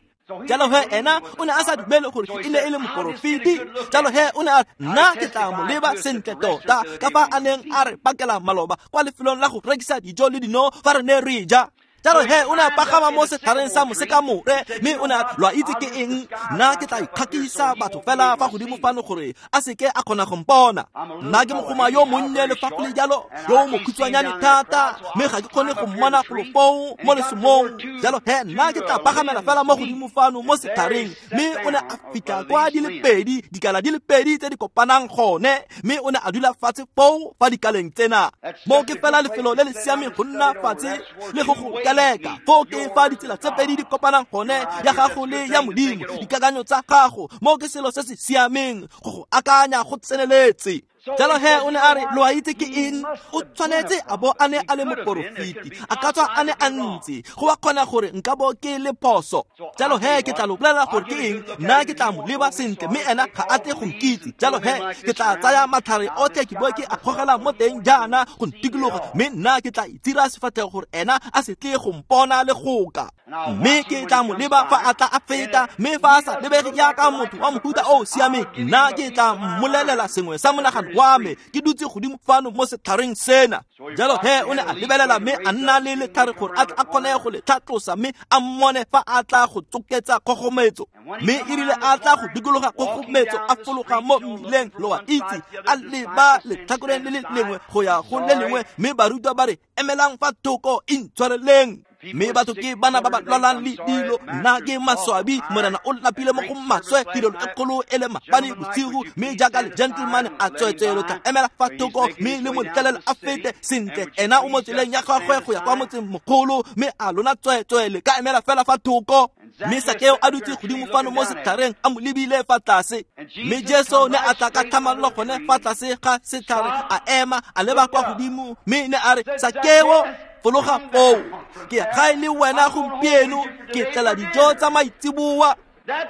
Jalo he ena o ne a sa dumele gore e ne e le moporofeti. Jalo he o ne a re, nna ke tla mo leba sentle tota, ka fa a neng a re pakela maloba kwa lefelong la go rekisa dijo le dino fa re ne re ja. Jalo he o ne a pagama mo setlhareng sa mosekamore, mme o ne a lwa itse ke eng, nna ke tla ikgakisa batho fela fa godimo fano gore a seke a kgona go mpona. Nna ke mogoma yo monnye le fa go le jalo, yo mokhutshwanyane thata, mme ga ke kgone go mmona golo foo mo lesomong. Jalo he nna ke tla pagamela fela mo godimo fano mo setlhareng. Mme o ne a fitlha kwa di le pedi, dikala di le pedi tse di kopanang gone, mme o ne a dula fatshe foo fa dikaleng tsena. Mo ke fela lefelo le le siameng go nna fatshe le go go kaleka. Foo ke fa ditsela tse pedi di kopanang gone, ya gago le ya Modimo, dikakanyo tsa gago. Mo ke selo se se siameng go go akanya go tseneletse. Jalo he o ne a re, lo a itse ke eng, o tshwanetse a bo a ne a le moporofeti, a ka tswa a ne a ntse, go a kgona gore nka bo ke le phoso. Jalo he ke tla lo bolelela gore ke eng, nna ke tla mo leba sentle, mme ena ga a tle go nkitse. Jalo he ke tla tsaya matlhare otlhe ke bo ke a gogela mo teng jaana go ntikologa, mme nna ke tla itira sefatlhego gore ena a se tle go mpona le goka. Mme ke tla mo leba fa a tla a feta, mme fa a sa lebege jaaka motho wa mohuta o o siameng, nna ke tla mmolelela sengwe sa monagano wa me, ke dutse godimo fano mo setlhareng sena. Jalo he o ne a lebelela mme a nna le letlhare gore a tla a kgone go le tlhatlosa, mme a mmone fa a tla go tsoketsa kgogometso. Mme e rile a tla go dikologa kgogometso, a fologa mo mmileng, lo a itse, a leba letlhakoreng le le lengwe go ya go le lengwe, mme barutwa ba re, emelang fa thoko, intshwareleng. Mme batho ke bana ba ba lwalang le dilo, nna ke maswabi, morena o lapile mo go maswe, tirelo e kgolo e le mabane bosigo, mme jaaka le gentleman a tswetswe lo tla emela fa thoko, mme le mo letlelela a fete sentle. Ena o mo tseleng ya gagwe go ya kwa motseng mogolo, mme a lona tswetswe le ka emela fela fa thoko. Mme Sakeo a dutse godimo fano mo setlhareng, a mo lebile fa tlase. Mme Jesu ne a tla ka tlhamallo gone fa tlase ga setlhare, a ema a leba kwa godimo, mme ne a re, Sakeo, fologa foo, ke gae le wena gompieno, ke tlela dijo tsa maitseboa.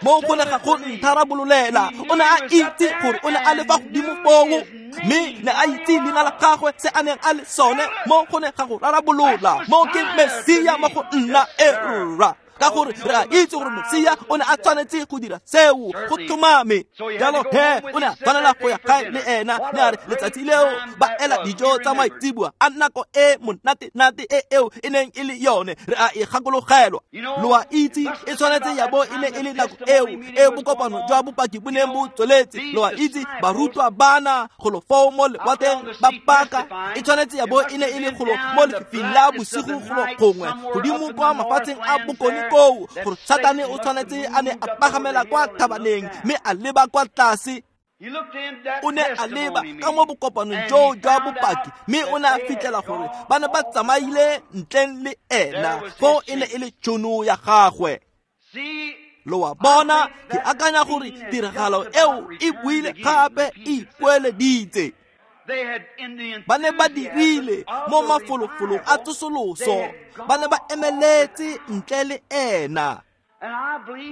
Mo go ne ga go ntharabololela. O ne a itse gore o ne a le fa godimo foo, mme ne a itse leina la gagwe, se a neng a le sone. Mo go ne ga go rarabolola. Mo ke Mesia mo go nna, e rra, ka gore re a itse gore Mesia o ne a tshwanetse go dira seo, go tlhomame. Jalo he o ne a tshwanela go ya gae le ena. Ne a re letsatsi leo ba ela dijo tsa maitseboa, a nako e monate-nate e eo e neng e le yone, re a e gakologelwa. Lo a itse e tshwanetse ya bo e ne e le nako eo e bokopano jwa bopaki bo neng bo tsweletse. Lo a itse barutwa bana golo foo mo lewatleng ba paka, e tshwanetse ya bo e ne e le golo mo lefifing la bosigo golo gongwe godimo kwa mafatsheng a bokone koo, gore Satane o tshwanetse a ne a pagamela kwa thabaneng mme a leba kwa tlase. O ne a leba ka mo bokopanong joo jwa bopaki, mme o ne a fitlhela gore ba ne ba tsamaile ntleng le ena. Foo e ne e le tšhono ya gagwe. Lo a bona, ke akanya gore tiragalo eo e buile gape e ipoeleditse. Ba ne ba dirile mo mafolofolong a tsosoloso, ba ne ba emeletse ntle le ena.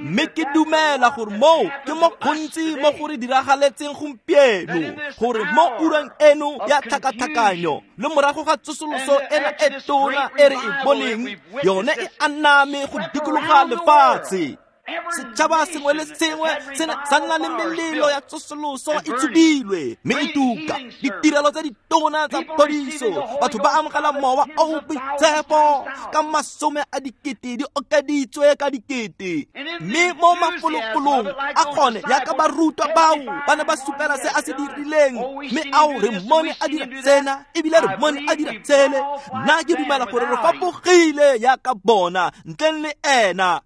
Mme ke dumela gore moo ke mo gontsi mo go re diragaletseng gompieno, gore mo ureng eno ya tlhakatlhakanyo le morago ga tsosoloso ena e tona e re e boneng, yone e aname go dikologa lefatshe. Setšhaba sengwe le sengwe se ne sa nna le melelo ya tsosoloso e tshubilwe mme e tuka, ditirelo tse ditona tsa phodiso, batho ba amogela mowa o o boitshepo ka masome a dikete di okeditswe ka dikete. Mme mo mafolofolong a gone yaka barutwa bao ba ne ba supela se a se dirileng, mme ao re mmone a dira tsena, ebile re mmone a dira tsele. Nna ke dumela gore re fapogile yaka bona ntleng le ena.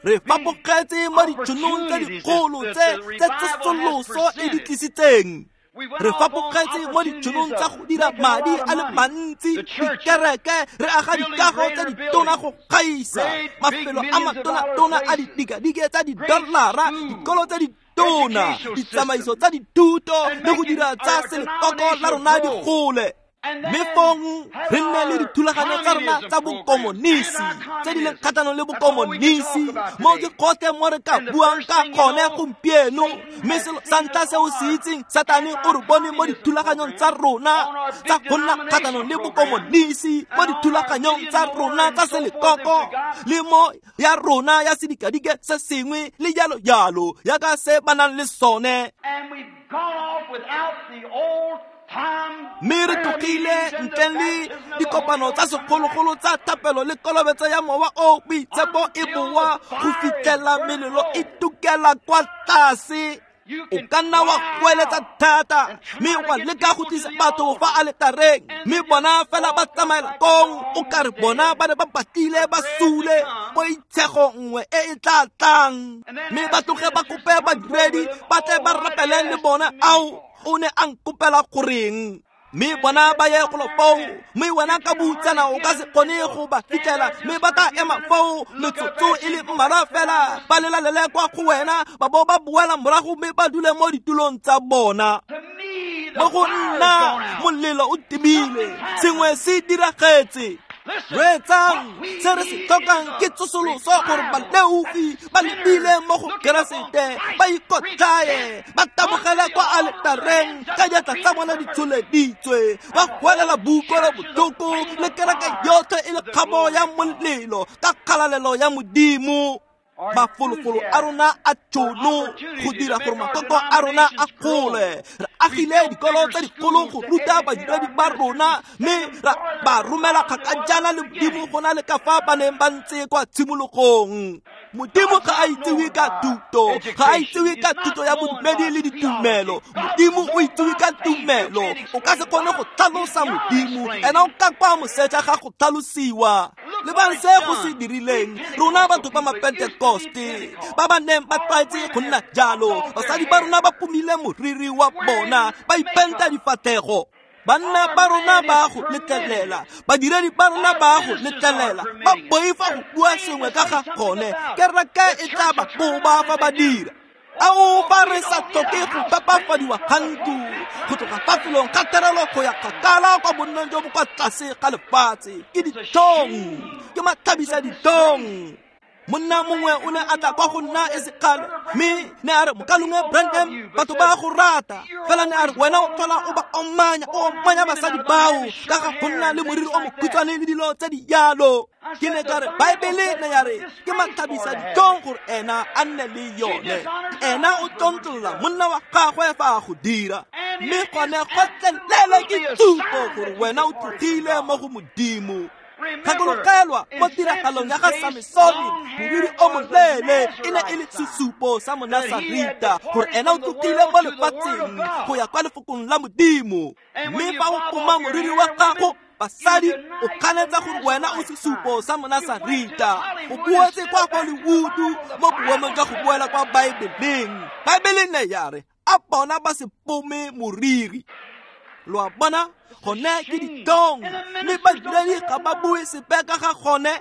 Re fapogetse mo ditšhonong tse dikgolo tse tse tsosoloso e di tlisitseng. Re fapogetse mo ditšhonong tsa go dira madi a le mantsi, dikereke, re aga dikago tse ditona go gaisa, mafelo a matona-tona a didikadike tsa di-dollara, dikolo tse ditona, ditsamaiso tsa dithuto, le go dira tsa selekoko la rona di gole. Mme fong re nne le dithulaganyo tsa rona tsa bokomonisi tse di leng kgatlhanong le bokomonisi. Mo ke gotlhe mo re ka buang ka gone gompieno. Mme selo sa ntlha se o se itseng, Satane o re bone mo dithulaganyong tsa rona tsa go nna kgatlhanong le bokomonisi, mo dithulaganyong tsa rona tsa selekoko, le mo ya rona ya sedikadike se sengwe le jalo jalo yaka se ba nang le sone. And we've gone off without the old Mme re tlogile ntleng le dikopano tsa segologolo tsa thapelo le kolobetso ya mowa o boitshepo e boa go fitlhela melelo e tukela kwa tlase. O ka nna wa goeletsa thata mme wa leka go tlisa batho fa aletareng, mme bona fela ba tsamaela kong o ka re bona ba ne ba batlile ba sule poitshego nngwe e e tla tlang, mme ba tloge ba kope badiredi ba tle ba rapele le bona. Ao, o ne a nkopela goreng? Mme bona ba ye golo foo, mme wena ka boutsana o ka se kgone go ba fitlhela, mme ba tla ema foo metsotso e le mmalwa fela ba lelalele kwa go wena, ba bo ba boela morago mme ba dule mo ditulong tsa bona. Mo go nna molelo o timile, sengwe se diragetse. Reetsang, se re se tlhokang ke tsosoloso gore baleofi ba lebile mo go Keresete, ba ikotlaye, ba tabogele kwa aletareng ka diatla tsa bona di tsholeditswe, ba goelela boutlwelo botlhoko le kereke yotlhe e le kgabo ya molelo ka kgalalelo ya Modimo. Mafolofolo a rona a tšhono go dira gore makoko a rona a gole. Re agile dikolo tse dikgolo go ruta badiredi ba rona, mme ra ba romela kgakajana le Modimo go na le ka fa ba neng ba ntse kwa tshimologong. Modimo ga a itsewe ka thuto, ga a itsewe ka thuto ya bodumedi le ditumelo. Modimo o itsewe ka tumelo. O ka se kgone go tlhalosa Modimo, ena o ka kwa moseja ga go tlhalosiwa. Lebang se go se dirileng rona batho ba Mapentekoste ba ba neng ba tlwaetse go nna jalo. Basadi ba rona ba pomile moriri wa bona, ba ipenta difatlhego. Banna ba rona ba go letlelela, badiredi ba rona ba go letlelela, ba boifa go bua sengwe ka ga gone. Kereke e tla ba koba fa ba dira. Ao, fa re sa tlhoke go pepafadiwa ga ntlo go tloga fa felong ga terelo go ya kgakala kwa bonnong jo bo kwa tlase ga lefatshe, ke ditlhong, ke matlhabisa ditlhong. Monna mongwe o ne a tla kwa go nna e sekgale, mme ne a re, Mokalongwe Branham, batho ba go rata fela. Ne a re, wena o tlhola o ba omanya, o omanya basadi bao ka ga go nna le moriri o mokhutshwane le dilo tse di jalo. Ke ne ka re, Baebele ne ya re ke matlhabisa ditlhong gore ena a nne le yone. Ena o tlontlolla monna wa gagwe fa a go dira, mme gone gotlhelele ke tshupo gore wena o tlogile mo go Modimo. Gakologelwa mo tiragalong ya ga Samesone, moriri o moleele e ne e le sesupo sa Monasarita gore ena o tlogile mo lefatsheng go ya kwa lefokong la Modimo. Mme fa o poma moriri wa gago, basadi, o kganetsa gore wena o sesupo sa Monasarita. O boetse kwa Hollywood mo boemong jwa go boela kwa Baebeleng. Baebele ne ya re a bona ba se pome moriri. Lo a bona, gone ke ditlhong, mme badiredi ga ba bue sepe ka ga gone.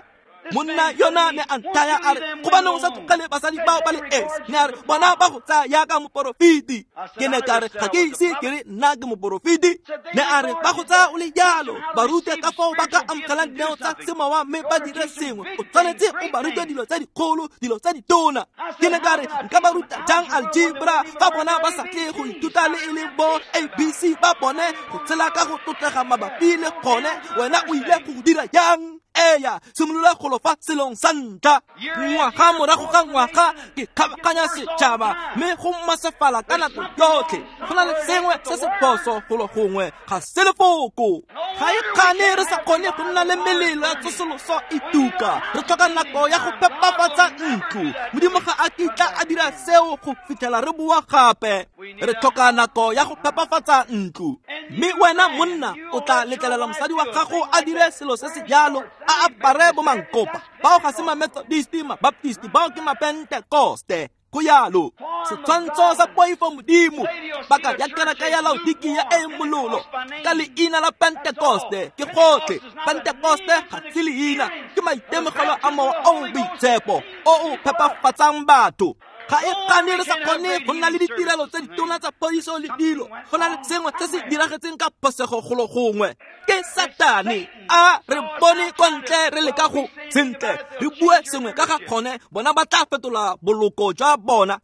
Monna yona ne a nthaya a re, gobaneng o sa tlogele basadi bao ba le esi? Ne a re, bona ba go tsaya yaka moporofeti. Ke ne ka re, ga ke ise ke re nna ke moporofeti. Ne a re, ba go tsaya o le jalo, ba rute ka fao ba ka amogelang dineo tsa semowa mme ba dire sengwe. O tshwanetse o ba rute dilo tse dikgolo, dilo tse ditona. Ke ne ka re, nka ba ruta jang algebra fa bona ba sa tle go ithuta le e leng bo ABC ba bone go tshela ka go tlotlega mabapi le gone? Wena o ile go dira jang? Eya, simolola golo fa selong sa ntlha. Ngwaga morago ga ngwaga ke kgabaganya setšhaba, mme go masefala ka nako yotlhe. Go na le sengwe se se phoso golo gongwe, ga se lefoko. Ga e kgane re sa kgone go nna le melelo ya tsosoloso e tuka. Re tlhoka nako ya go phepafatsa ntlo. Modimo ga a kitla a dira seo go fitlhela re boa gape. Re tlhoka nako ya go phepafatsa ntlo. Mme wena monna o tla letlelela mosadi wa gago a dire selo se se jalo, a apare bo mankopa. Bao ga se ma-Methodist, ma-Baptist, bao ke ma-Pentekoste. Go jalo, setshwantsho sa poifo Modimo, baka ya kereke ya Laodikia e e mololo ka leina la Pentekoste ke gotlhe. Pentekoste ga se leina, ke maitemogelo a mowa o o boitshepo o o phepafatsang batho. Ga e kgane re sa kgone go nna le ditirelo tse ditona tsa phodiso le dilo. Go na le sengwe se se diragetseng ka phosego golo gongwe. Ke Satane a re bone kwa ntle re leka go sentle re bue sengwe ka ga gone, bona ba tla fetola boloko jwa bona.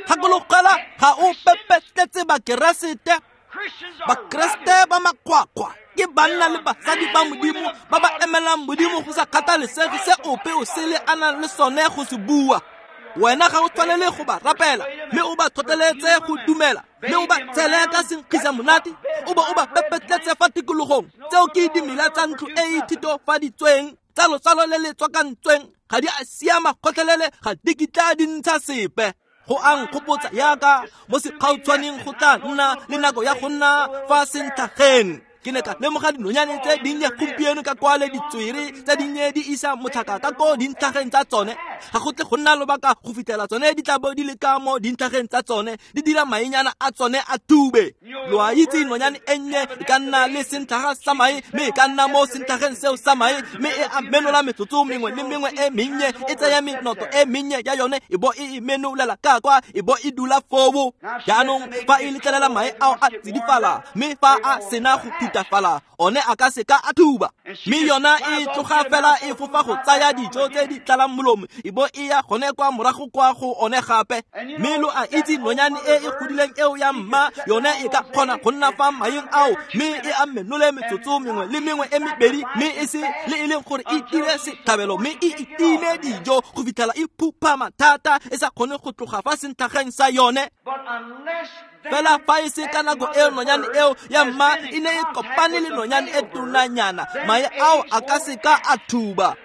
Gakologelwa, ga o pepetletse Bakeresete. Bakeresete ba makgwakgwa ke banna le basadi ba Modimo ba ba emelang Modimo go sa kgathalesege se ope o sele a nang le sone go se bua. Wena ga o tshwanele go ba rapela, mme o ba tlhotlheletse go dumela, mme o ba tshele ka senkgisa monate, o bo o ba pepetletse fa tikologong. Tseo ke dimela tsa ntlo e e thitofaditsweng, tsa lotsalo le le tswakantsweng, ga di a siama gotlhelele, ga di kitla di ntsha sepe. Go a nkgopotsa yaka mo sekgautshwaneng go tla nna le nako ya go nna fa sentlhageng. Ke ne ka lemoga dinonyane tse dinnye gompieno ka kwale ditswere tse dinnye di isa motlhaka ka ko dintlhageng tsa tsone. Ga go tle go nna lobaka go fitlhela tsone di tla bo di le ka mo dintlhageng tsa tsone, di dira mainyana a tsone a tube. Lo a itse nonyane e nnye e ka nna le sentlhaga sa mae, mme e ka nna mo sentlhageng seo sa mae, mme e a menola metsotso mengwe le mengwe e mennye, e tsaya menoto e mennye ya yone e bo e e menolela ka kwa, e bo e dula foo. Jaanong fa e letlelela mae ao a tsidifala, mme fa a sena go thutafala, one a ka seka a thuba, mme yona e tloga fela e fofa go tsaya dijo tse di tlalang molomo, e bo e ya gone kwa morago kwa go one gape. Mme lo a itse nonyane e e godileng eo ya mma, yone e ka kgona go nna fa maeng ao, mme e a menole metsotso mengwe le mengwe e mebedi, mme e se le e leng gore e dire setlhabelo, mme e itime dijo go fitlhela e phuphama thata e sa kgone go tloga fa sentlhageng sa yone. Fela fa e se ka nako eo nonyane eo ya mma e ne e kopane le nonyane e tonanyana, mae ao a ka seka a thuba.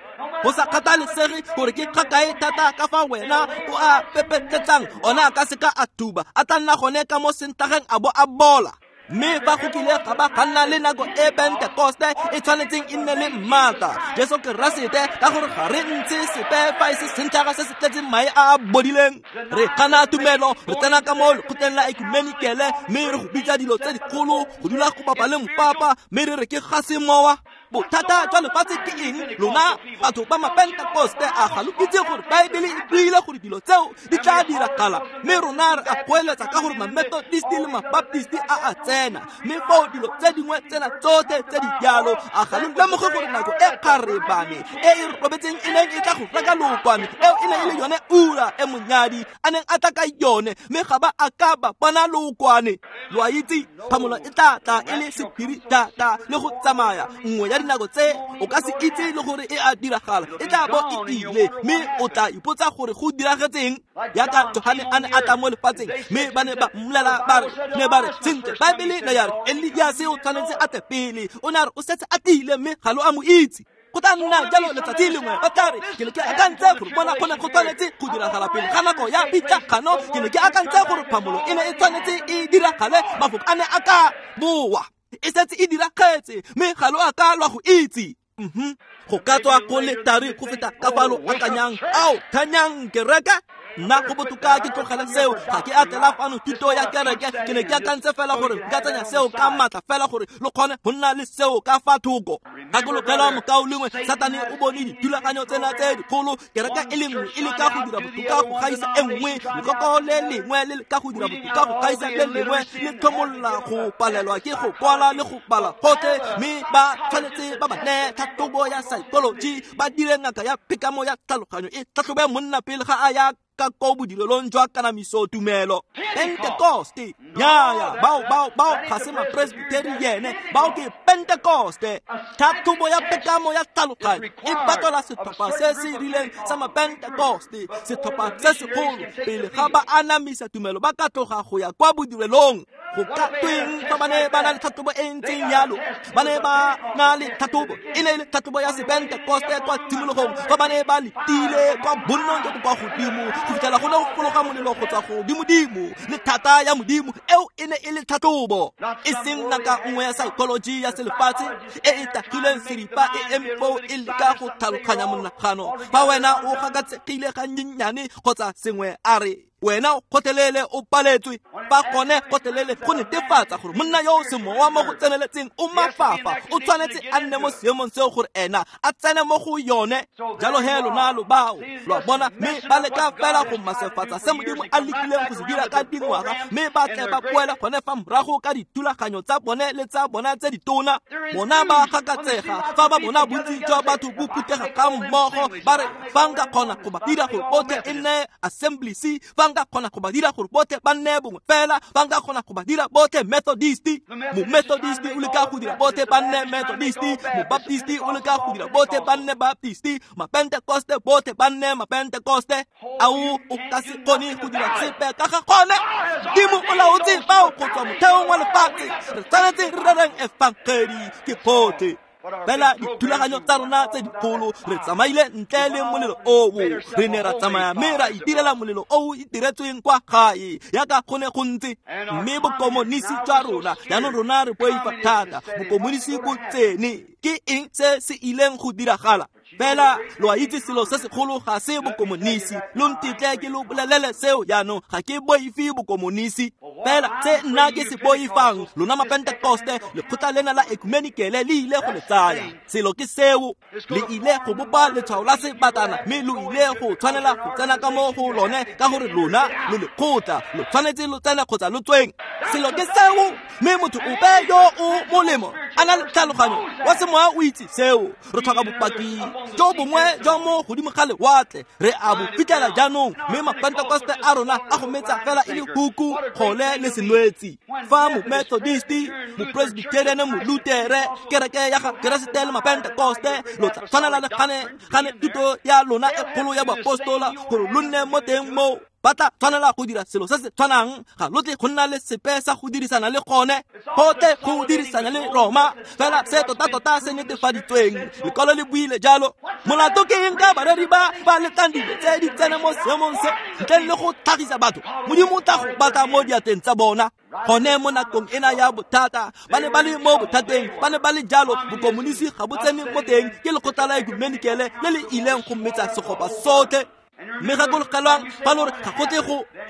Go sa kgathalesege gore ke kgakae thata ka fa wena o a pepetletsang, ona a ka seka a thuba, a tla nna gone ka mo sentlhageng a bo a bola. Mme fa go kile ga ba ga nna le nako e Pentekoste e tshwanetseng e nne le mmata Jesu Keresete, ka gore ga re ntshe sepe fa e se sentlhaga se se tletseng mae a a bodileng. Re gana tumelo, re tsena ka mo lekgotleng la ekumenikele, mme re go bitsa dilo tse dikgolo, go dula go bapa le mopapa, mme re re ke ga semowa. Bothata jwa lefatshe ke eng? Lona batho ba Mapentekoste, a ga lo itse gore Baebele e buile gore dilo tseo di tla diragala? Mme rona re a goeletsa ka gore Mamethodist le Mabaptist a a tsena, mme foo dilo tse dingwe tsena tsotlhe tse di jalo. A ga lo lemoge gore nako e kgarebane e e robetseng e neng e tla go reka lookwane, eo e ne e le yone ura e monyadi a neng a tla ka yone, mme ga ba a ka ba bona lookwane. Lo a itse phamolo e tla tla e le sephiri thata le go tsamaya. Nngwe ya dinako tse o ka se itse le gore e a diragala, e tla bo e ile, mme o tla ipotsa gore go diragetseng. Yaka Johane a ne a tla mo lefatsheng, mme ba ne ba mmolela ba re, ne ba re, sentle, Baebele ne ya re Eliase o tshwanetse a tle pele. O ne a re o setse a tlile, mme ga lo a mo itse. Go tla nna jalo letsatsi lengwe ba tla re, ke ne ke akantse gore bona go ne go tshwanetse go diragala pele ga nako ya pitlagano, ke ne ke akantse gore phamolo e ne e tshwanetse e diragale, mafoko a ne a ka boa, e setse e diragetse, mme ga lo a ka lwa go itse. Go ka tswa go le thari go feta ka fa lo akanyang. Ao, thanyang kereke. Nna go botoka ke tlogele seo, ga ke a tlela fano thuto ya kereke. Ke ne ke akantse fela gore nka tsenya seo ka maatla fela gore lo kgone go nna le seo ka fa thoko. Gakologelwa mokaulengwe, Satane o bone dithulaganyo tsena tse dikgolo, kereke e le nngwe e leka go dira botoka go gaisa e nngwe, lekoko le lengwe le leka go dira botoka go gaisa le lengwe, le tlhomolla go palelwa ke go kwala le go bala gotlhe, mme ba tshwanetse ba ba neye tlhatlhobo ya psychology, ba dire ngaka ya phekamo ya tlhaloganyo e tlhatlhobe monna pele ga a ya ka ko bodirelong jwa kanamiso tumelo. Pentekoste, nyaya, bao ga se mapresbyteriene, bao ke Pentekoste. Tlhatlhobo ya phekamo ya tlhaloganyo e batlela setlhopha se se rileng sa Mapentekoste, setlhopha se segolo, pele ga ba anamisa tumelo ba ka tloga go ya kwa bodirelong. Go ka tweng fa ba ne ba na le tlhatlhobo e ntseng jalo? Ba ne ba na le tlhatlhobo, e ne e le tlhatlhobo ya Sepentekoste kwa tshimologong, fa ba ne ba letile kwa bonnong jo bo kwa godimo go fitlhela go ne go fologa molelo go tswa godimodimo le thata ya Modimo. Eo e ne e le tlhatlhobo, e seng ngaka nngwe ya psychology ya selefatshe e e tagileng seripa e eme foo e leka go tlhaloganya monagano. Fa wena o gakatsegile gannyenyane kgotsa sengwe, a re wena o kgotlelele o paletswe. Fa gone kgotlelele go netefatsa gore monna yo o semowa mo go tseneletseng o mafafa, o tshwanetse a nne mo seemong seo gore ena a tsene mo go yone. Jalo he lona lo bao, lo a bona, mme ba leka fela go masefatsa se Modimo a lekileng go se dira ka dingwaga, mme ba tle ba boele gone fa morago ka dithulaganyo tsa bone le tsa bona tse ditona. Bona ba gakatsega fa ba bona bontsi jwa batho bo phuthega ga mmogo, ba re fa nka kgona go ba dira gore botlhe e nne assembly, fa nka kgona go ba dira gore botlhe ba nne bongwe fela, fa nka kgona go ba dira botlhe Methodist, mo-Methodist o leka go dira botlhe ba nne Methodist, mo-Baptist o leka go dira botlhe ba nne Baptist, ma-Pentecoste botlhe ba nne ma-Pentecoste. Ao o ka se kgone go dira sepe ka ga gone. Modimo o laotse bao go tswa motheong wa lefatshe. Re tshwanetse re rereng efangedi ke gotlhe. Fela dithulaganyo tsa rona tse dikgolo, re tsamaile ntle le molelo oo. Re ne ra tsamaya mme ra itirela molelo o o itiretsweng kwa gae yaka go ne go ntse. Mme bokomonisi jwa rona jaanong rona re boifa thata. Bokomonisi bo tsene. Ke eng se se ileng go diragala? Fela lo a itse selo se segolo ga se bokomonisi. Lo ntetle ke lo bolelele seo jaanong, ga ke boife bokomonisi. Fela se nna ke se boifang, lona mapentekoste, lekgotla lena la ekumenikele le ile go le tsaya. Selo ke seo, le ile go bopa letshwao la sebatana, mme lo ile go tshwanela go tsena ka mo go lone, ka gore lona lo lekgotla, lo tshwanetse lo tsene kgotsa lo tsweng. Selo ke seo, mme motho ope yo o molemo a na le tlhaloganyo wa semoya o itse seo. Re tlhoka bopaki jo bongwe jwa mo godimo ga lewatle, re a bo fitlhela jaanong, mme mapentekoste a rona a go metsa fela e le huku, kgole le senwetsi. Fa mo-Methodist, mo-Presbyterian, mo-Lutere, kereke ya ga Keresete le mapentekoste, lo tla tshwanela le gane thuto ya lona e kgolo ya boapostola gore lo nne mo teng moo. Ba tla tshwanela go dira selo se se tshwanang, ga lo tle go nna le sepe sa go dirisana le gone, gotlhe go dirisana le Roma. Fela se tota-tota se netefaditsweng, lekwalo le buile jalo. Molato ke eng ka bareri ba ba letlang dilo tse di tsene mo seemong se ntleng le go tlhagisa batho? Modimo o tla go batla mo diatleng tsa bona. Gone mo nakong ena ya bothata, ba ne ba le mo bothateng, ba ne ba le jalo. Bokomonisi ga bo tsene mo teng, ke lekgotla la ekumenikele le le ileng go metsa segopa sotlhe. Mme gakologelwang fa lo re ga go tle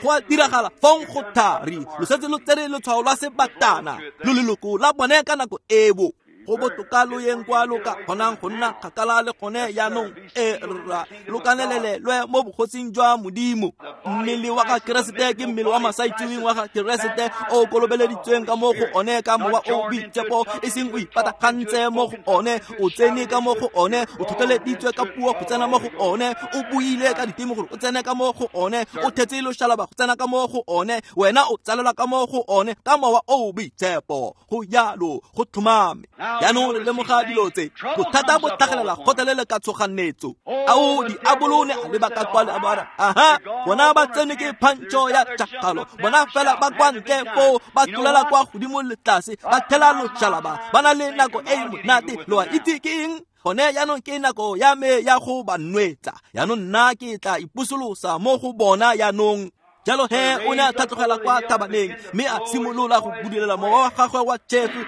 go a diragala, fong go thari lo setse lo tsere letshwao lwa sebatana, lo leloko la bone ka nako eo. Go botoka lo yeng kwa lo ka kgonang go nna kgakala le gone jaanong, e rra lo kanelelelwe mo bogosing jwa Modimo. Mmele wa ga Keresete ke mmele wa masaitseweng wa ga Keresete o kolobeleditsweng ka mo go one ka mowa o boitshepo, e seng o ipatagantse mo go one, o tsene ka mo go one, o tlhotlheleditswe ka puo go tsena mo go one, o buile ka diteme gore o tsene ka mo go one, o thetse loshalaba go tsena ka mo go one, wena o tsalelwa ka mo go one ka mowa o boitshepo. Go jalo, go tlhomame. Jaanong re lemoga dilo tse, bothata bo tlhagelela gotlhelele ka tshoganetso. Ao diabolo ne a leba ka kwa le a ba re, aha, bona ba tsene ke phantšho ya tšhakgalo, bona fela ba kwa ntle foo, ba tlolela kwa godimo le tlase, ba thela loshalaba, ba na le nako e e monate. Lo a itse ke eng? Gone jaanong ke nako ya me ya go ba nwetsa. Jaanong nna ke tla ipusolosa mo go bona jaanong. Jalo he o ne a tlhatlogela kwa thabaneng, mme a simolola go budulela mowa wa gagwe wa tšhefu.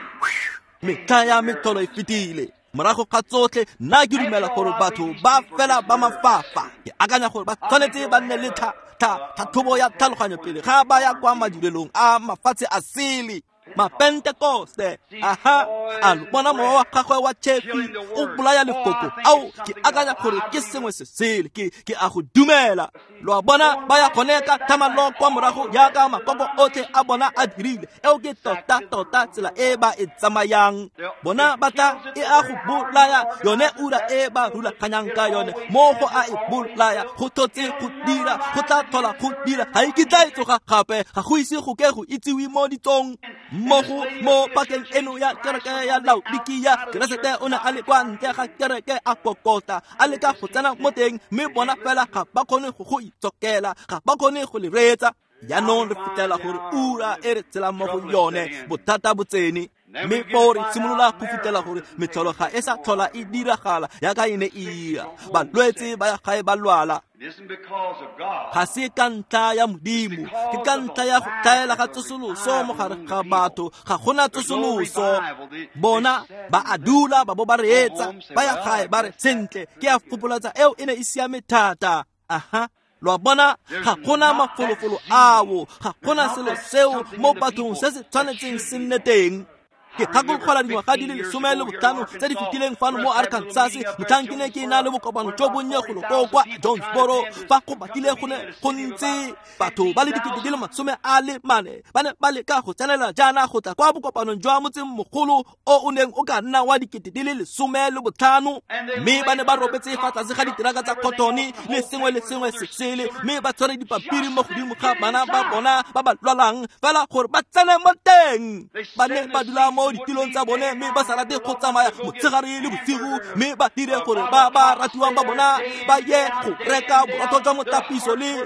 Metlha ya metlholo e fetile. Morago ga tsotlhe, nna ke dumela gore batho ba fela ba mafafa. Ke akanya gore ba tshwanetse ba nne le tlhatlhobo ya tlhaloganyo pele ga ba ya kwa madirelong a mafatshe a sele. Mapentekoste, aha, a lo bona mowa wa gagwe wa tšhefi o bolaya lefoko. Ao, ke akanya gore ke sengwe se sele, ke a go dumela. Lo a bona ba ya gone ka thamalo kwa morago jaaka makoko otlhe a bona a dirile. Eo ke tota-tota tsela e ba e tsamayang. Bona ba tla e a go bolaya yone ura e ba rulaganyang ka yone, mo go a e bolaya, go tlhotse go dira, go tla tlhola go dira, ga e kitla e tsoga gape, ga go ise go ke go itsiwe mo ditsong. Mmogo mo pakeng eno ya kereke ya Laodikia, Keresete o ne a le kwa ntle ga kereke a kokota, a leka go tsena mo teng, mme bona fela ga ba kgone go go itsokela, ga ba kgone go le reetsa. Jaanong re fitlhela gore ura e re tshelang mo go yone, bothata bo tsene. Mme foo re simolola go fitlhela gore metlholo ga e sa tlhola e diragala jaaka e ne e ira. Balwetse ba ya gae ba lwala. Ga se ka ntlha ya Modimo, ke ka ntlha ya go tlhaela ga tsosoloso mo gare ga batho. Ga gona tsosoloso. Bona ba a dula ba bo ba reetsa, ba ya gae ba re, sentle, ke a fopolatsa eo e ne e siame thata. Aha, lo a bona, ga gona mafolofolo ao, ga gona selo seo mo bathong se se tshwanetseng se nne teng. Ke gakologelwa dingwaga di le 15 tse di fetileng fano mo Arkansas, motlhang ke ne ke na le bokopano jo bonnye golo koo kwa Jonesboro, fa go batlile go ne go ntse batho ba le 44,000 ba ne ba leka go tsenela jaana go tla kwa bokopanong jwa motsengmogolo o o neng o ka nna wa 15,000, mme ba ne ba robetse fa tlase ga diteraka tsa cotone le sengwe le sengwe se sele, mme ba tshwere dipampiri mo godimo ga bana ba bona ba ba lwalang fela gore ba tsene mo teng. Ba ne ba dula mo ditilong tsa bone mme ba sa rate go tsamaya motshegare le bosigo, mme ba dire gore ba ba ratiwang ba bona ba ye go reka borotho jwa motapiso le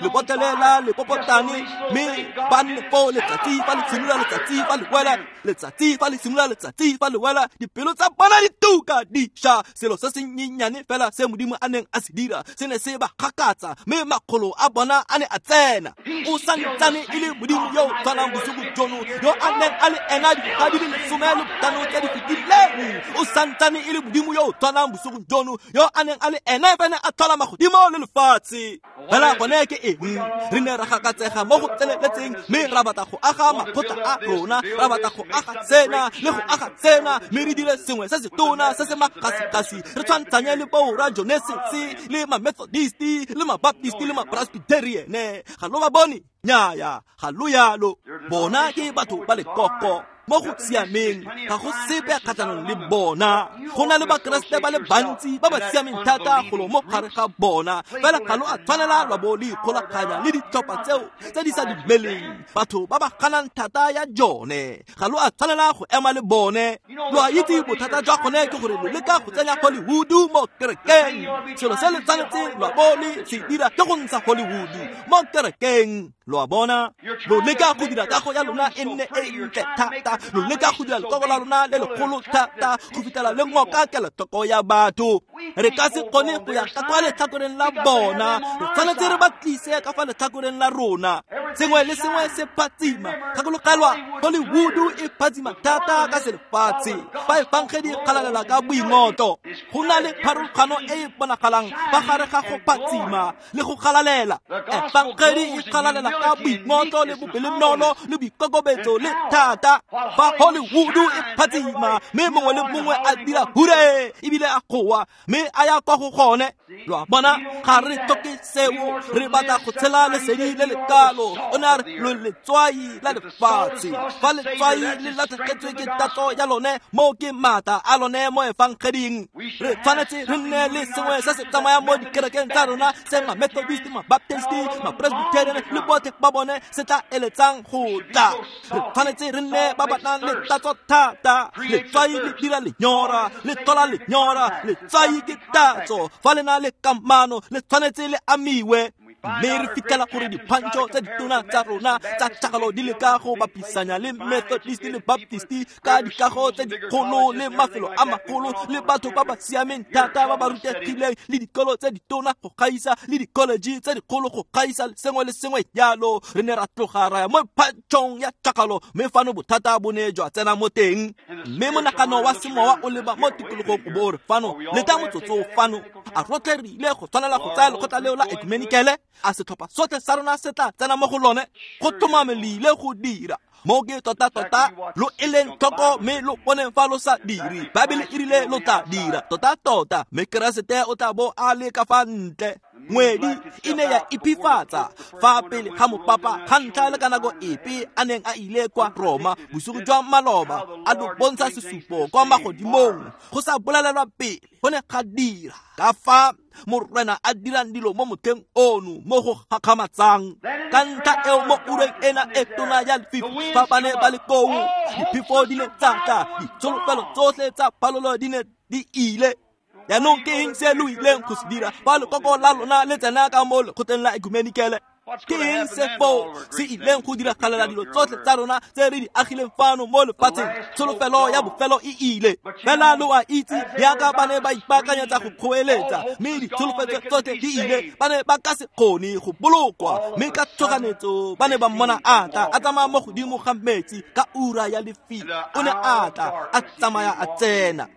lebotlele la lepopotane, mme ba nne foo letsatsi fa le simolola, letsatsi fa le wela, letsatsi fa le simolola, letsatsi fa le wela, dipelo tsa bona di tuka di ša. Selo se senyenyane fela se Modimo a neng a se dira se ne se ba gakatsa, mme makgolo a bona a ne a tsena. O santsane e le Modimo yo o tshwanang bosigo jono yo a neng a le ena dingwaga di le 15 tse di fetileng. O santsane e le Modimo yo o tshwanang bosigo jono yo a neng a le ena fa ne a tlhola magodimo le lefatshe. Fela gone ke eng? Re ne ra gakatsega mo go tseneletseng, mme ra batla go aga makgotla a rona, ra batla go aga sena le go aga sena, mme re dire sengwe se se tona se se magasigasi, re tshwantshanye le boora Genesis le ma-Methodist le ma-Baptist le ma-Presbyterian. Ga lo ba bone? Nnyaya, ga lo yalo. Bona ke batho ba lekoko mo go siameng, ga go sepe kgatlhanong le bona. Go na le Bakeresete ba le bantsi ba ba siameng thata golo mo gare ga bona, fela ga lo a tshwanela lwa bo le ikgolaganya le ditlhopha tseo tse di sa dumeleng, batho ba ba ganang thata ya jone. Ga lo a tshwanela go ema le bone. Lo a itse bothata jwa gone ke gore lo leka go tsenya Hollywood mo kerekeng. Selo se le tshwanetseng lwa bo le se dira ke go ntsha Hollywood mo kerekeng. Lo a bona? Lo leka go dira kago ya lona e nne e ntle thata, lo leka go dira lekoko la lona le legolo thata go fitlhela le ngoka kelotlhoko ya batho. Re ka se kgone go ya ka kwa letlhakoreng la bona, re tshwanetse re ba tlise ka fa letlhakoreng la rona. Sengwe le sengwe se phatsima. Gakologelwa, Hollywood e phatsima thata ka selefatshe, fa efangedi e galalela ka boingotlo. Go na le pharologano e e bonagalang fa gare ga go phatsima le go galalela. Efangedi e galalela ka boingotlo le bopelonolo le boikokobetso le thata. Fa Hollywood e phatsima, mme mongwe le mongwe a dira hure ebile a goa, mme a ya kwa go gone. Lo a bona? Ga re tlhoke seo, re batla go tshela lesedi le lekalo. O ne a re lo letswai la lefatshe. Fa letswai le latlhegetswe ke tatso ya lone, mo ke maatla a lone mo efangeding. Re tshwanetse re nne le sengwe se se tsamayang mo dikerekeng tsa rona, se ma-Methodist, ma-Baptist, ma-Presbyterian le botlhe ba bone se tla eletsang go tla. Re tshwanetse re nne ba ba nang le tatso thata. Letswai le dira lenyora, le tlhola lenyora. Letswai ke tatso. Fa le na le kamano, le tshwanetse le amiwe. Mme re fitlhela gore diphantšho tse ditona tsa rona tsa tšhakgalo di leka go bapisanya le Methodist le Baptist ka dikago tse dikgolo le mafelo a magolo le batho ba ba siameng thata ba ba rutegileng le dikolo tse ditona go gaisa le di-college tse dikgolo go gaisa sengwe le sengwe jalo. Re ne ra tloga ra ya mo phantšhong ya tšhakgalo, mme fano bothata bo ne jwa tsena mo teng. Mme monagano wa semowa o leba mo tikologong o bo o re fano, leta motsotso fano, a rotlhe re ile go tshwanela go tsaya lekgotla leo la ekumenikele? A setlhopha sotlhe sa rona se tla tsena mo go lone? Go tlhomame le ile go dira. Mo ke tota-tota lo eleng tlhoko, mme lo boneng fa lo sa dire. Baebele e rile lo tla dira tota-tota, mme Keresete o tla bo a le ka fa ntle. Ngwedi e ne ya iphifatsa fa pele ga mopapa ga ntlha le ka nako epe a neng a ile kwa Roma bosigo jwa maloba, a lo bontsha sesupo kwa magodimong go sa bolelelwa pele. Go ne ga dira ka fa Morena a dirang dilo mo motlheng ono mo go gakgamatsang. Ka ntlha eo mo ureng ena e tona ya lefifi, fa ba ne ba le koo, diphefo di ne tsa tla, ditsholofelo tsotlhe tsa phalolo di ne di ile. Jaanong ke eng se lo ileng go se dira fa lekoko la lona le tsena ka mo lekgotleng la ekumenikele? Ke eng se foo se ileng go diragalela dilo tsotlhe tsa rona tse re di agileng fano mo lefatsheng? Tsholofelo ya bofelo e ile. Fela lo a itse, jaaka ba ne ba ipaakanyetsa go kgoeletsa, mme ditsholofetso tsotlhe di ile, ba ne ba ka se kgone go bolokwa. Mme ka tshoganetso ba ne ba mmona a tla a tsamaya mo godimo ga metsi ka ura ya lefifi. O ne a tla a tsamaya a tsena.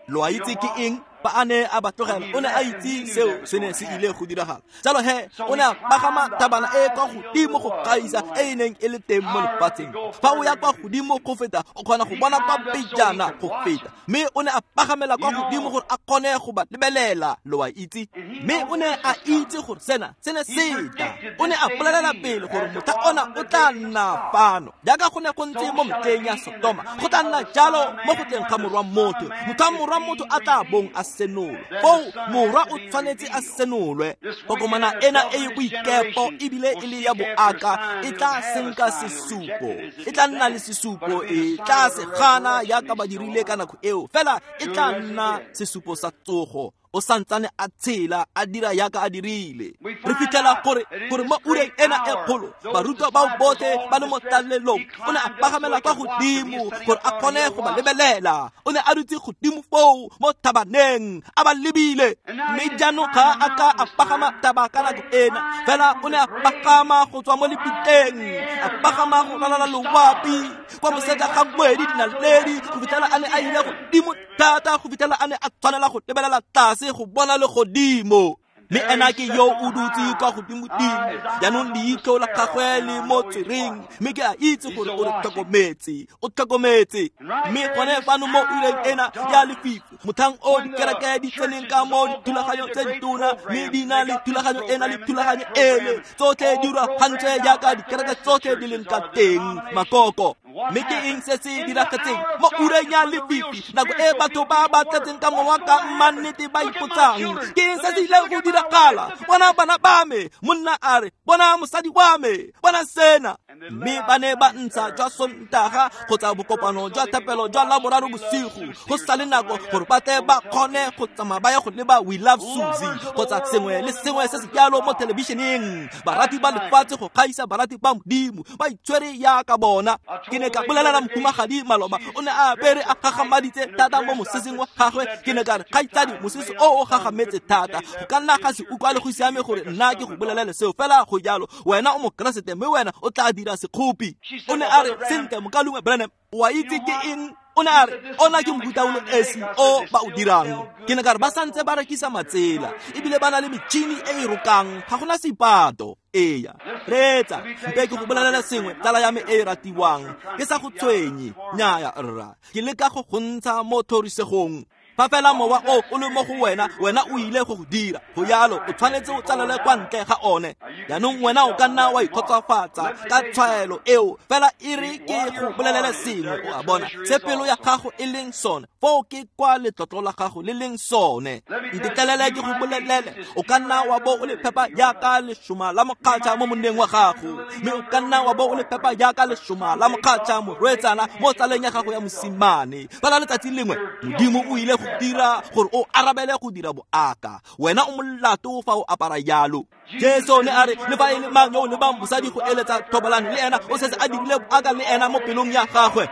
Lo a itse ke eng? Fa a ne a ba tlogela, o ne a itse seo se ne se ile go diragala. Jalo he o ne a pagama thabana e kwa godimo go gaisa e e neng e le teng mo lefatsheng. Fa o ya kwa godimo go feta, o kgona go bona kwa pejana go feta. Mme o ne a pagamela kwa godimo gore a kgone go ba lebelela, lo a itse. Mme o ne a itse gore sena se ne se tla. O ne a bolelela pele gore motlha ona o tla nna fano, jaaka go ne go ntse mo metlheng ya Sodoma, go tla nna jalo mo go tleng ga morwa motho. Motlha morwa motho a tla bong a senolwe, foo morwa o tshwanetse a senolwe. Kokomana ena e e boikepo ebile e le ya boaka e tla senka sesupo, e tla nna le sesupo, e tla se gana jaaka ba dirile ka nako eo, fela e tla nna sesupo sa tsogo. O santsane a tshela a dira yaka a dirile. Re fitlhela gore mo ureng ena e kgolo, barutwa bao botlhe ba le mo tlalelong, o ne a pagamela kwa godimo gore a kgone go ba lebelela. O ne a dutse godimo foo mo thabaneng a ba lebile. Mme jaanong ga a ka a pagama thaba ka nako ena, fela o ne a pagama go tswa mo lebitleng, a pagama go ralala loapi kwa moseja ga ngwedi dinaledi, go fitlhela a ne a ile godimo thata, go fitlhela a ne a tshwanela go lebelela tlase go bona legodimo. Mme ena ke yo o dutse kwa godimodimo. Jaanong leitlho la gagwe le mo tswereng, mme ke a itse gore o re tlhokometse, o tlhokometse. Mme gone fano mo ureng ena ya lefifi, motlhang o dikereke di tseneng ka mo dithulaganyong tse ditona, mme di na le thulaganyo ena le thulaganyo ele, tsotlhe di rulagantswe jaaka dikereke tsotlhe di leng ka teng, makoko. Mme ke eng se se diragetseng mo ureng ya lefifi, nako e batho ba ba tletseng ka mowa ka mannete ba ipotsang, ke eng se se ileng go diragala? Bona bana ba me, monna a re, bona mosadi wa me, bona sena. Mme ba ne ba ntsha jwa Sontaga kgotsa bokopano jwa thapelo jwa Laboraro bosigo, go sa le nako gore ba tle ba kgone go tsamaya ba ye go leba We Love Susie kgotsa sengwe le sengwe se se jalo mo thelebišeneng. Barati ba lefatshe go gaisa barati ba Modimo ba itshwere yaka bona. Ke ne ka bolelela mohumagadi maloba, o ne a apere a gagamaditse thata mo moseseng wa gagwe. Ke ne ka re, kgaitsadi, mosese o o gagametse thata, go ka nna ga se utlwale go siame gore nna ke go bolelele seo, fela go jalo wena o mokeresete mme wena o tla dira sekgopi. O ne a re, sentle mokaulengwe Branham, o a itse ke eng? O ne a re, ona ke mofuta o le esi o ba o dirang. Ke ne ka re, ba santse ba rekisa matsela ebile ba na le metšhini e e rokang, ga gona seipato. Eya, reetsa, mpe ke go bolelela sengwe, tsala ya me e e ratiwang, ke sa go tshwenye, nnyaya rra, ke leka go go ntsha mo tlhorisegong. Fa fela mowa o o le mo go wena, wena o ile go go dira go jalo, o tshwanetse o tsalele kwa ntle ga one. Jaanong wena o ka nna wa ikgotsofatsa ka tshwaelo eo, fela e re ke go bolelele sengwe, o a bona se pelo ya gago e leng sone, foo ke kwa letlotlo la gago le leng sone. Ntetlelele ke go bolelele, o ka nna wa bo o le phepa jaaka lešoma la mokgatšha mo monneng wa gago, mme o ka nna wa bo o le phepa jaaka lešoma la mokgatšha morwetsana mo tsaleng ya gago ya mosimane. Fela letsatsi lengwe Modimo o ile go dira gore o arabele go dira boaka. Wena o molato fa o apara jalo. Jesu ne a re, le fa e le mang yo o lebang mosadi go eletsa thobalano le ena, o setse a dirile boaka le ena mo pelong ya gagwe.